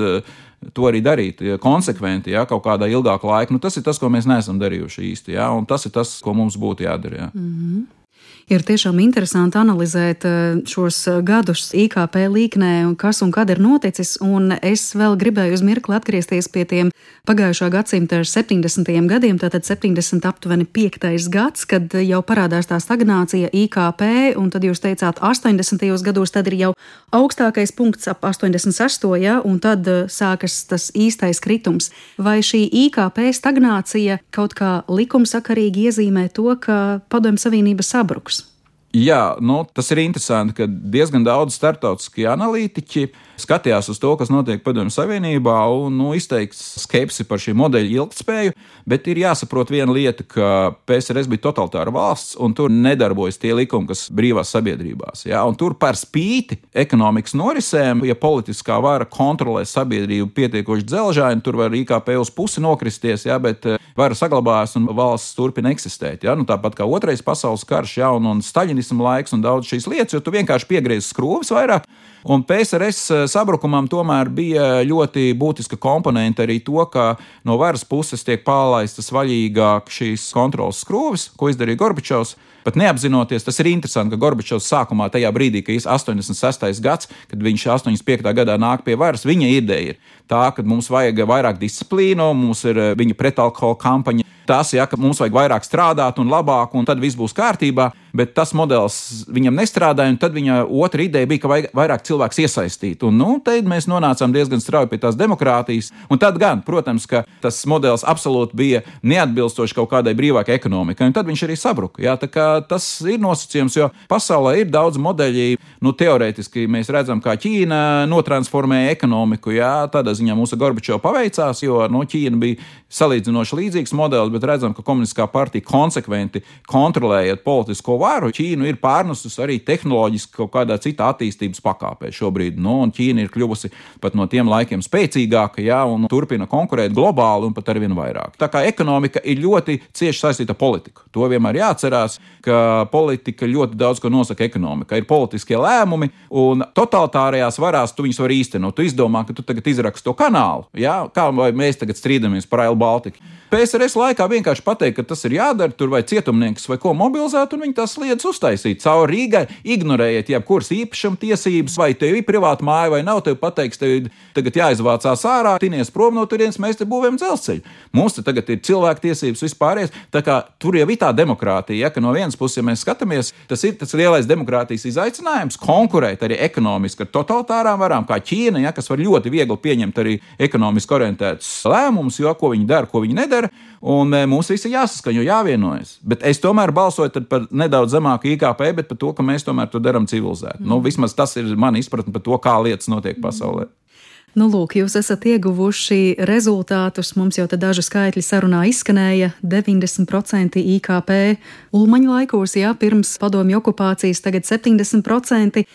to arī darīt konsekventi, ja, kaut kādā ilgāka laika. Nu, tas ir tas, ko mēs neesam darījuši īsti, ja, un tas ir tas, ko mums būtu jādara. Ja. Mm-hmm. Ir tiešām interesanti analizēt šos gadus I K P līknē, kas un kad ir noticis, un es vēl gribēju uz mirkli atgriezties pie tiem pagājušā gadsimta septiņdesmitajiem gadiem, tātad septiņdesmit aptuveni piektais gads, kad jau parādās tā stagnācija I K P, un tad jūs teicāt astoņdesmitajos gados, tad ir jau augstākais punkts ap astoņdesmit sesto, ja, un tad sākas tas īstais kritums. Vai šī I K P stagnācija kaut kā likumsakarīgi iezīmē to, ka Padomju Savienība sabruks? Jā, nu, tas ir interesanti, ka diezgan daudz starptautiskie analītiķi skatījās uz to, kas notiek Padomju Savienībā, un nu, izteiks skepsi par šī modeļa ilgtspēju, bet ir jāsaprot viena lieta, ka P S R S bija totalitāra valsts, un tur nedarbojas tie likumi, kas brīvās sabiedrībās. Jā, un tur par spīti ekonomikas norisēm, ja politiskā vara kontrolē sabiedrību pietiekoši dzelžaini, tur var I K P uz pusi nokristies, jā, bet vara saglabājas un valsts turpina eksistēt. Jā, nu, tāpat kā otrais pasaules karš, jā, un, un staļinismu laiks un daudz šīs lietas, jo tu vienkārši piegriezi skrūvis vairāk. Un P S R S sabrukumam tomēr bija ļoti būtiska komponente arī to, ka no varas puses tiek pārlaistas vaļīgāk šīs kontrolas skrūvis, ko izdarīja Gorbačovs. Pat neapzinoties, tas ir interesanti, ka Gorbačovs sākumā tajā brīdī, ka ir astoņdesmit sestais gads, kad viņš astoņdesmit piektā gadā nāk pie varas, viņa ideja ir tā, ka mums vajag vairāk disciplīnu, mums ir viņa pretalkohola kampaņa. Tas, ja, ka mums vajag vairāk strādāt un labāk, un tad viss būs kārtībā, bet tas modelis viņam nestrādāja, un tad viņa otra ideja bija, ka vajag vairāk cilvēks iesaistīt. Un, nu, te mēs nonācām diezgan strauji pie tās demokrātijas, un tad gan, protams, ka tas modelis absolūti bija neatbilstoši kaut kādai brīvākai ekonomikai, un tad viņš arī sabruka. Jā, tā kā tas ir nosacījums, jo pasaulē ir daudz modeļi, nu, teorētiski mēs redzam, kā Ķīna notransformēja ekonomiku, jā, tādā ziņā mūsu Gorbačova paveicās, jo, nu, Ķīna bija salīdzinoši līdzīgs modelis, bet redzam, ka komunistiskā partija konsekventi kontrolējot politisko varu, Ķīnu ir pārnesusi arī tehnoloģiski kaut kādā citā attīstības pakāpē šobrīd. Nu, un Ķīna ir kļuvusi pat no tiem laikiem spēcīgāka, jā, un turpina konkurēt globāli un pat arvien vairāk. Tā kā ekonomika ir ļoti cieši saistīta ar politiku. To vienmēr jāatcerās, ka politika ļoti daudz ko nosaka ekonomika. Ir politiskie lēmumi, un totalitārajās varās tu viņus var īstenot. Tu izdomā, ka tu tagad izraksti to kanālu, jā, kā vai mēs tagad strīdamies par Rail Baltiku. P S R S laikā vienkārši pateikt, ka tas ir jādara, tur vai cietumnieks vai ko mobilizēt, un viņi tās lietas uztaisīt. Cauri Rīgai ignorējiet jebkuras īpašuma tiesības, vai tev ir privāta māja vai nav, tev pateiks, tev tagad jāizvācās ārā, tinies prom no turienes, mēs te būvējam dzelzceļu. Mums te tagad ir cilvēktiesības vispārējais, tā kā tur jau ir tā demokrātija, ja, ka no vienas puses, ja mēs skatāmies, tas ir tas lielais demokrātijas izaicinājums, konkurēt arī ekonomiski ar totalitārām varām, kā Ķīna, ja, kas var ļoti viegli pieņemt arī ekonomiski orientētus lēmumus, jo ko viņi dara, ko viņi nedara. Un mums visi ir jāsaskaņo, jāvienojas. Bet es tomēr balsoju par nedaudz zemāku I K P, bet par to, ka mēs tomēr to darām civilizēti. Mm. Nu, vismaz tas ir mana izpratne par to, kā lietas notiek pasaulē. Nu, lūk, jūs esat ieguvuši rezultātus. Mums jau te daži skaitļi sarunā izskanēja. deviņdesmit procenti I K P Ulmaņa laikos, jā, pirms padomju okupācijas, tagad septiņdesmit procenti.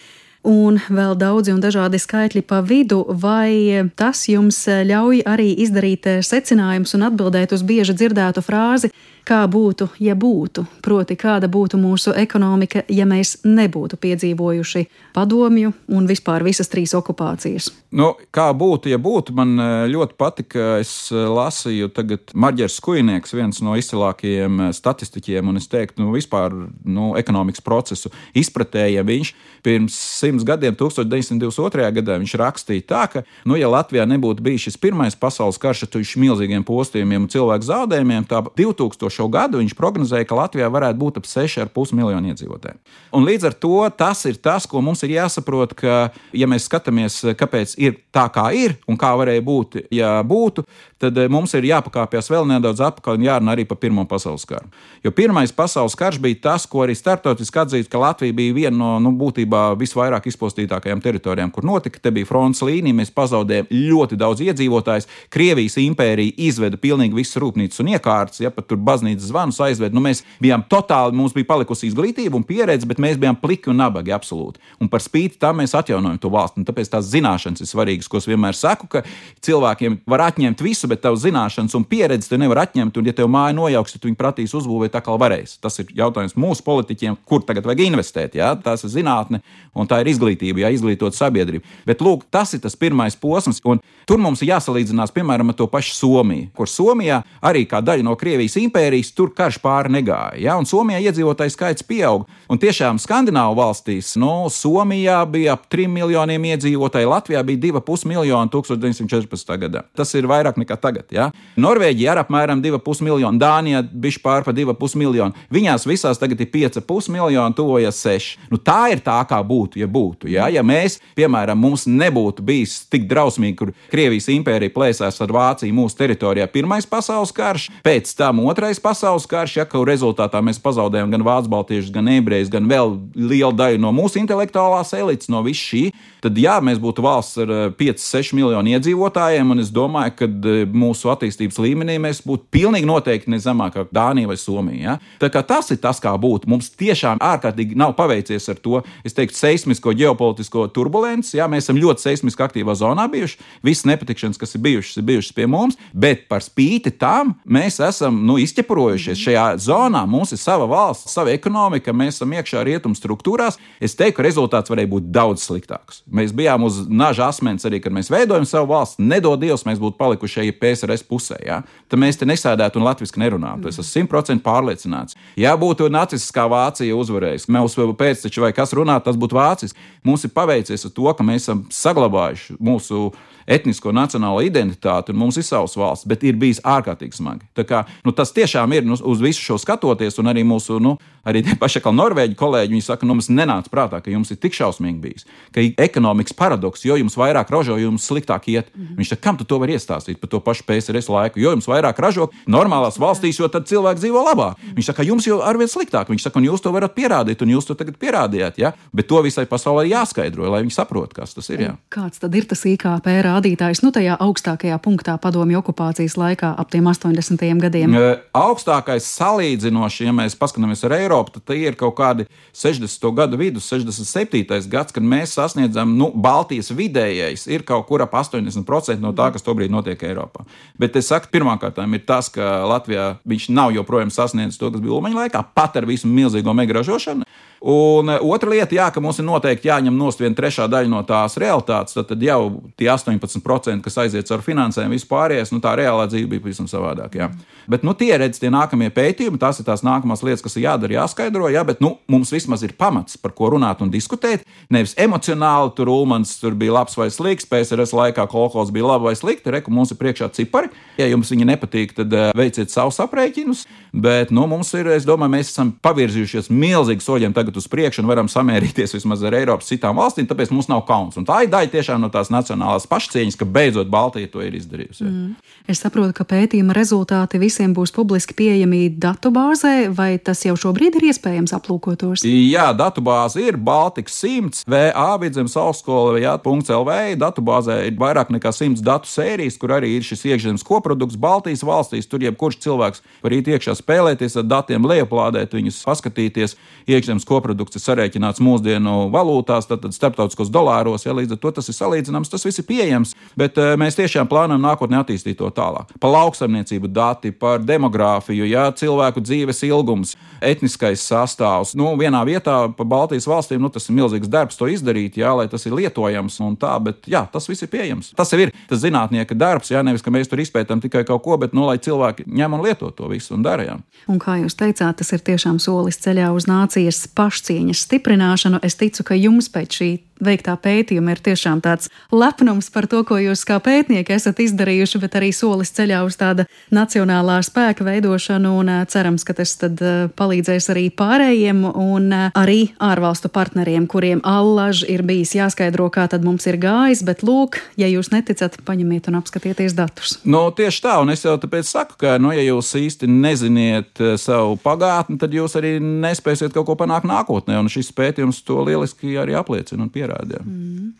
Un vēl daudzi un dažādi skaitļi pa vidu, vai tas jums ļauj arī izdarīt secinājumus un atbildēt uz bieži dzirdētu frāzi, kā būtu, ja būtu, proti kāda būtu mūsu ekonomika, ja mēs nebūtu piedzīvojuši padomju un vispār visas trīs okupācijas? Nu, kā būtu, ja būtu, man ļoti patika, es lasīju tagad Marģers Skujnieks, viens no izcilākajiem statistiķiem, un es teiktu, nu, vispār, nu, ekonomikas procesu izpratējiem. Viņš pirms simts gadiem, tūkstoš deviņsimt divdesmit otrajā gadā, viņš rakstīja tā, ka, nu, ja Latvijā nebūtu bijis šis pirmais pasaules karš ar milzīgiem postījumiem un cilvēku zaudējumiem, tā divtūkstošo gadu viņš prognozēja, ka Latvijā varētu būt ap seši ar pus miljonu iedzīvotāju. Un līdz ar to tas ir tas, ko mums ir jāsaprot, ka, ja mēs skatāmies, kāpēc ir tā, kā ir, un kā varēja būt, ja būtu, tad mums ir jāpakāpjas vēl nedaudz atpakaļ un jārunā arī par Pirmo pasaules karu. Jo Pirmais pasaules karš bija tas, ko arī starptautiski atzīt, ka Latvija bija viena no, nu, būtībā visvairāk izpostītākajām teritorijām, kur notika. Te bija frontes līnija, mēs pazaudējām ļoti daudz iedzīvotājus. Krievijas impērija izveda pilnīgi visas rūpnīcas un iekārtas, ja pat tur baznīcas zvanus aizved. Nu, mēs bijām totāli, mums bija palikusi izglītība un pieredze, bet mēs bijām pliki un nabagi absolūti. Un par spīti tam mēs atjaunojam to valsti. Un tāpēc tās zināšanas ir svarīgas, ko es vienmēr saku, ka cilvēkiem var atņemt visu, visa, bet tavs zināšanas un pieredzi te nevar atņemt, un ja tev māja nojauks, tad viņi pratīs uzbūvēt tā kā varēs. Tas ir jautājums mūsu politiķiem, kur tagad vajag investēt, jā? Tās ir zinātne, un tā ir izglītība, jā, izglītot sabiedrību. Bet, lūk, tas ir tas pirmais posms, un tur mums ir jāsalīdzinās, piemēram, ar to pašu Somiju, kur Somijā arī kā daļa no Krievijas impērijas tur karš pāri negāja, jā? Un Somijā iedzīvotāju skaits pieaug, un tiešām Skandināvu valstīs, nu, Somijā bija ap trim miljoniem iedzīvotāju, Latvijā bija divi pus miljoni tūkstoš deviņsimt četrpadsmitajā gadā. Tas ir vairāk nekā tagad, jā? Norvēģija ar apmēram divi pus miljoni, Dānijā bišķi pār pa divi pus miljoni. Viņās visās tagad ir pieci pus miljoni, tuvojas seši. Nu, tā ir tā, kā būtu, ja būtu, jā? Ja mēs, piemēram, mums nebūtu bijis tik drausmīgi, kur Krievijas impērija plēsās ar Vāciju mūsu teritorijā pirmais pasaules karš, pēc tam otrais pasaules karš, ja, ka rezultātā mēs pazaudējām gan vācu baltiešus, gan ebrejus, gan vēl lielu daļu no mūsu intelektuālās elites, no viss šī, tad jā, mēs būtu valsts ar pieci seši miljoni iedzīvotājiem, un es domāju, ka mūsu attīstības līmenī mēs būtu pilnīgi noteikti ne zemāk kā Dānija vai Somija. Ja? Tā kā tas ir tas, kā būtu. Mums tiešām ārkārtīgi nav paveicies ar to, es teiktu, seismisko ģeopolitisko turbulenci. Ja? Mēs esam ļoti seismiski aktīvā zonā bijuši. Visas nepatikšanas, kas ir bijušas, ir bijušas pie mums, bet par spīti tam mēs esam nu, izķepurojušies šajā zonā. Mums ir sava valsts, sava ekonomika, mēs esam iekšā rietumu struktūrās. Es teiktu, ka rezultāts varēja būt daudz sliktāks. Mēs bijām uz naža asmens arī, kad mēs veidojam savu valsts. Nedod Dievs, mēs būtu palikuši šeit P S R S pusē. Ja? Tad mēs te nesēdētu un latviski nerunātu. Es esmu simt procenti pārliecināts. Ja būtu nacistiskā Vācija uzvarējusi, mūsu pēcteči vai kas runāt, tas būtu vācis. Mums ir paveicies ar to, ka mēs esam saglabājuši mūsu etnisko nacionālo identitāti, un mums ir savas valsts, bet ir bijis ārkārtīgi smagi. Tā kā, nu, tas tiešām ir, nu, uz visu šo skatoties, un arī mūsu, nu, arī tie paši kā Norvēģi kolēģi, viņi saka, nu, mums nenāca prātā, ka jums ir tik šausmīgi bijis, ka ekonomikas paradoks, jo jums vairāk ražo, jo jums sliktāk iet. Mm-hmm. Viņš saka, kam tu to var iestāstīt par to pašu P S R S laiku, jo jums vairāk ražo normālās valstīs, jo tad cilvēki dzīvo labāk. Mm-hmm. Viņš saka, jums jau arvien sliktāk. Viņš saka, un jūs to varat pierādīt, un jūs to tagad pierādījāt, ja? Bet to visai pasaulē jāskaidro, lai viņi saprot, kas tas ir. Jā. Kāds tad ir tas I K P rādītājs, nu, tajā augstākajā punktā padomju okupācijas laikā ap tiem astoņdesmitajiem gadiem? E, augstākais salīdzinoši, ja mēs paskatāmies ar Eiropu, tad tie ir kaut kādi sešdesmito gadu vidus, sešdesmit septītais gads, kad mēs sasniedzam, nu, Baltijas vidējais ir kaut kur ap astoņdesmit procenti no tā, kas tobrīd notiek Eiropā. Bet es saku, pirmkārtām ir tas, ka Latvijā viņš nav joprojām sasniedzis to, kas bija Ulmaņa laikā, pat ar visu milzīgo mega ražošanu. Un otra lieta, jā, ka mums ir noteikti jāņem nost viena trešā daļa no tās realitātes, tad, tad jau tie astoņpadsmit procenti, kas aiziet ar finansēm, vispārējais, nu tā reālā dzīve bija pavisam savādāk, jā. Bet, nu, tie redz tie nākamie pētījumi, tās ir tās nākamās lietas, kas ir jādara, jāskaidro, jā, bet, nu, mums vismaz ir pamats, par ko runāt un diskutēt, nevis emocionāli, tur Ulmans tur bija labs vai slikts, P S R S laikā kolhozs bija labi vai slikti, reku, mums ir priekšā cipari, ja jums viņi nepatīk, tad veiciet savus aprēķinus, bet, nu, mums ir, es domāju, mēs esam pavirzījušies milzīgi soļiem tagad uz priekšu un varam samērīties vismaz ar Eiropas citām valstīm, tāpēc mums nav kauns. Un tā ir daļa tiešām no tās nacionālās pašcieņas, ka beidzot Baltija to ir izdarījusi. Mm. Es saprotu, ka pētījuma rezultāti visiem būs publiski pieejami datubāzē, vai tas jau šobrīd ir iespējams aplūkotos? Jā, datubāze ir Baltika simts, V A Vidzemes augstskola, jā, .lv, datubāzē ir vairāk nekā simts datu sērijas, kur arī ir šis iekšzemes koprodukts Baltijas valstīs, tur jebkurš cilvēks var iet iekšā spēlēties ar datiem, lejuplādēt viņus, paskatīties. Iekšzemes koprodukts ir sarēķināts mūsdienu valūtās, tad, tad starptautiskos dolāros, ja līdz ar to tas ir salīdzināms, tas viss ir pieejams, bet uh, mēs tiešām plānojam nākotnē attīstīt to tālāk. Par lauksaimniecību dati, par demogrāfiju, ja, cilvēku dzīves ilgums, etniskais sastāvs. Nu, vienā vietā pa Baltijas valstīm, nu, tas ir milzīgs darbs to izdarīt, jā, lai tas ir lietojams un tā, bet jā, tas viss ir pieejams. Tas jau ir tas zinātnieka darbs, jā, nevis, ka mēs tur izpētam tikai kaut ko, bet, nu, lai cilvēki ņem un lieto to visu un dara, jā. Un kā jūs teicāt, tas ir tiešām solis ceļā uz nācijas pašcieņas stiprināšanu. Es ticu, ka jums pēc šī veiktā pētījuma ir tiešām tāds lepnums par to, ko jūs kā pētnieki esat izdarījuši, bet arī solis ceļā uz tāda nacionālā spēka veidošanu, un cerams, ka tas tad palīdzēs arī pārējiem un arī ārvalstu partneriem, kuriem allaž ir bijis jāskaidro, kā tad mums ir gājis, bet lūk, ja jūs neticat, paņemiet un apskatieties datus. Nu, tieši tā, un es jau tāpēc saku, ka, nu, ja jūs īsti neziniet savu pagātni, tad jūs arī nespēsiet kaut ko panākt nākotnē, un šis pētījums to lieliski arī apliecina un pierāda. Mm.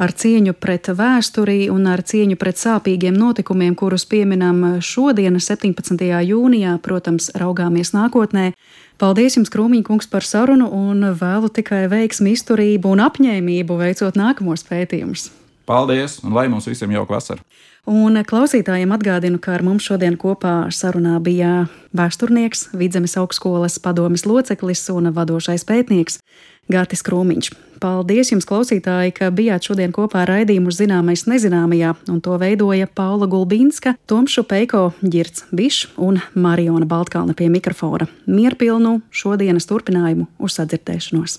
Ar cieņu pret vēsturi un ar cieņu pret sāpīgiem notikumiem, kurus pieminam šodien, septiņpadsmitajā jūnijā, protams, raugāmies nākotnē. Paldies jums, Krūmiņa kungs, par sarunu un vēlu tikai veiksmi, izturību un apņēmību veicot nākamos pētījumus. Paldies, un lai mums visiem jauka vasara! Un klausītājiem atgādinu, ka ar mums šodien kopā sarunā bija vēsturnieks, Vidzemes augstskolas padomes loceklis un vadošais pētnieks Gatis Krūmiņš. Paldies jums, klausītāji, ka bijāt šodien kopā ar raidījumu Zināmais nezināmajā, un to veidoja Paula Gulbinska, Toms Šupeiko, Ģirds Bišs un Mariona Baltkalne pie mikrofona. Mierpilnu šodienas turpinājumu uz sadzirdēšanos!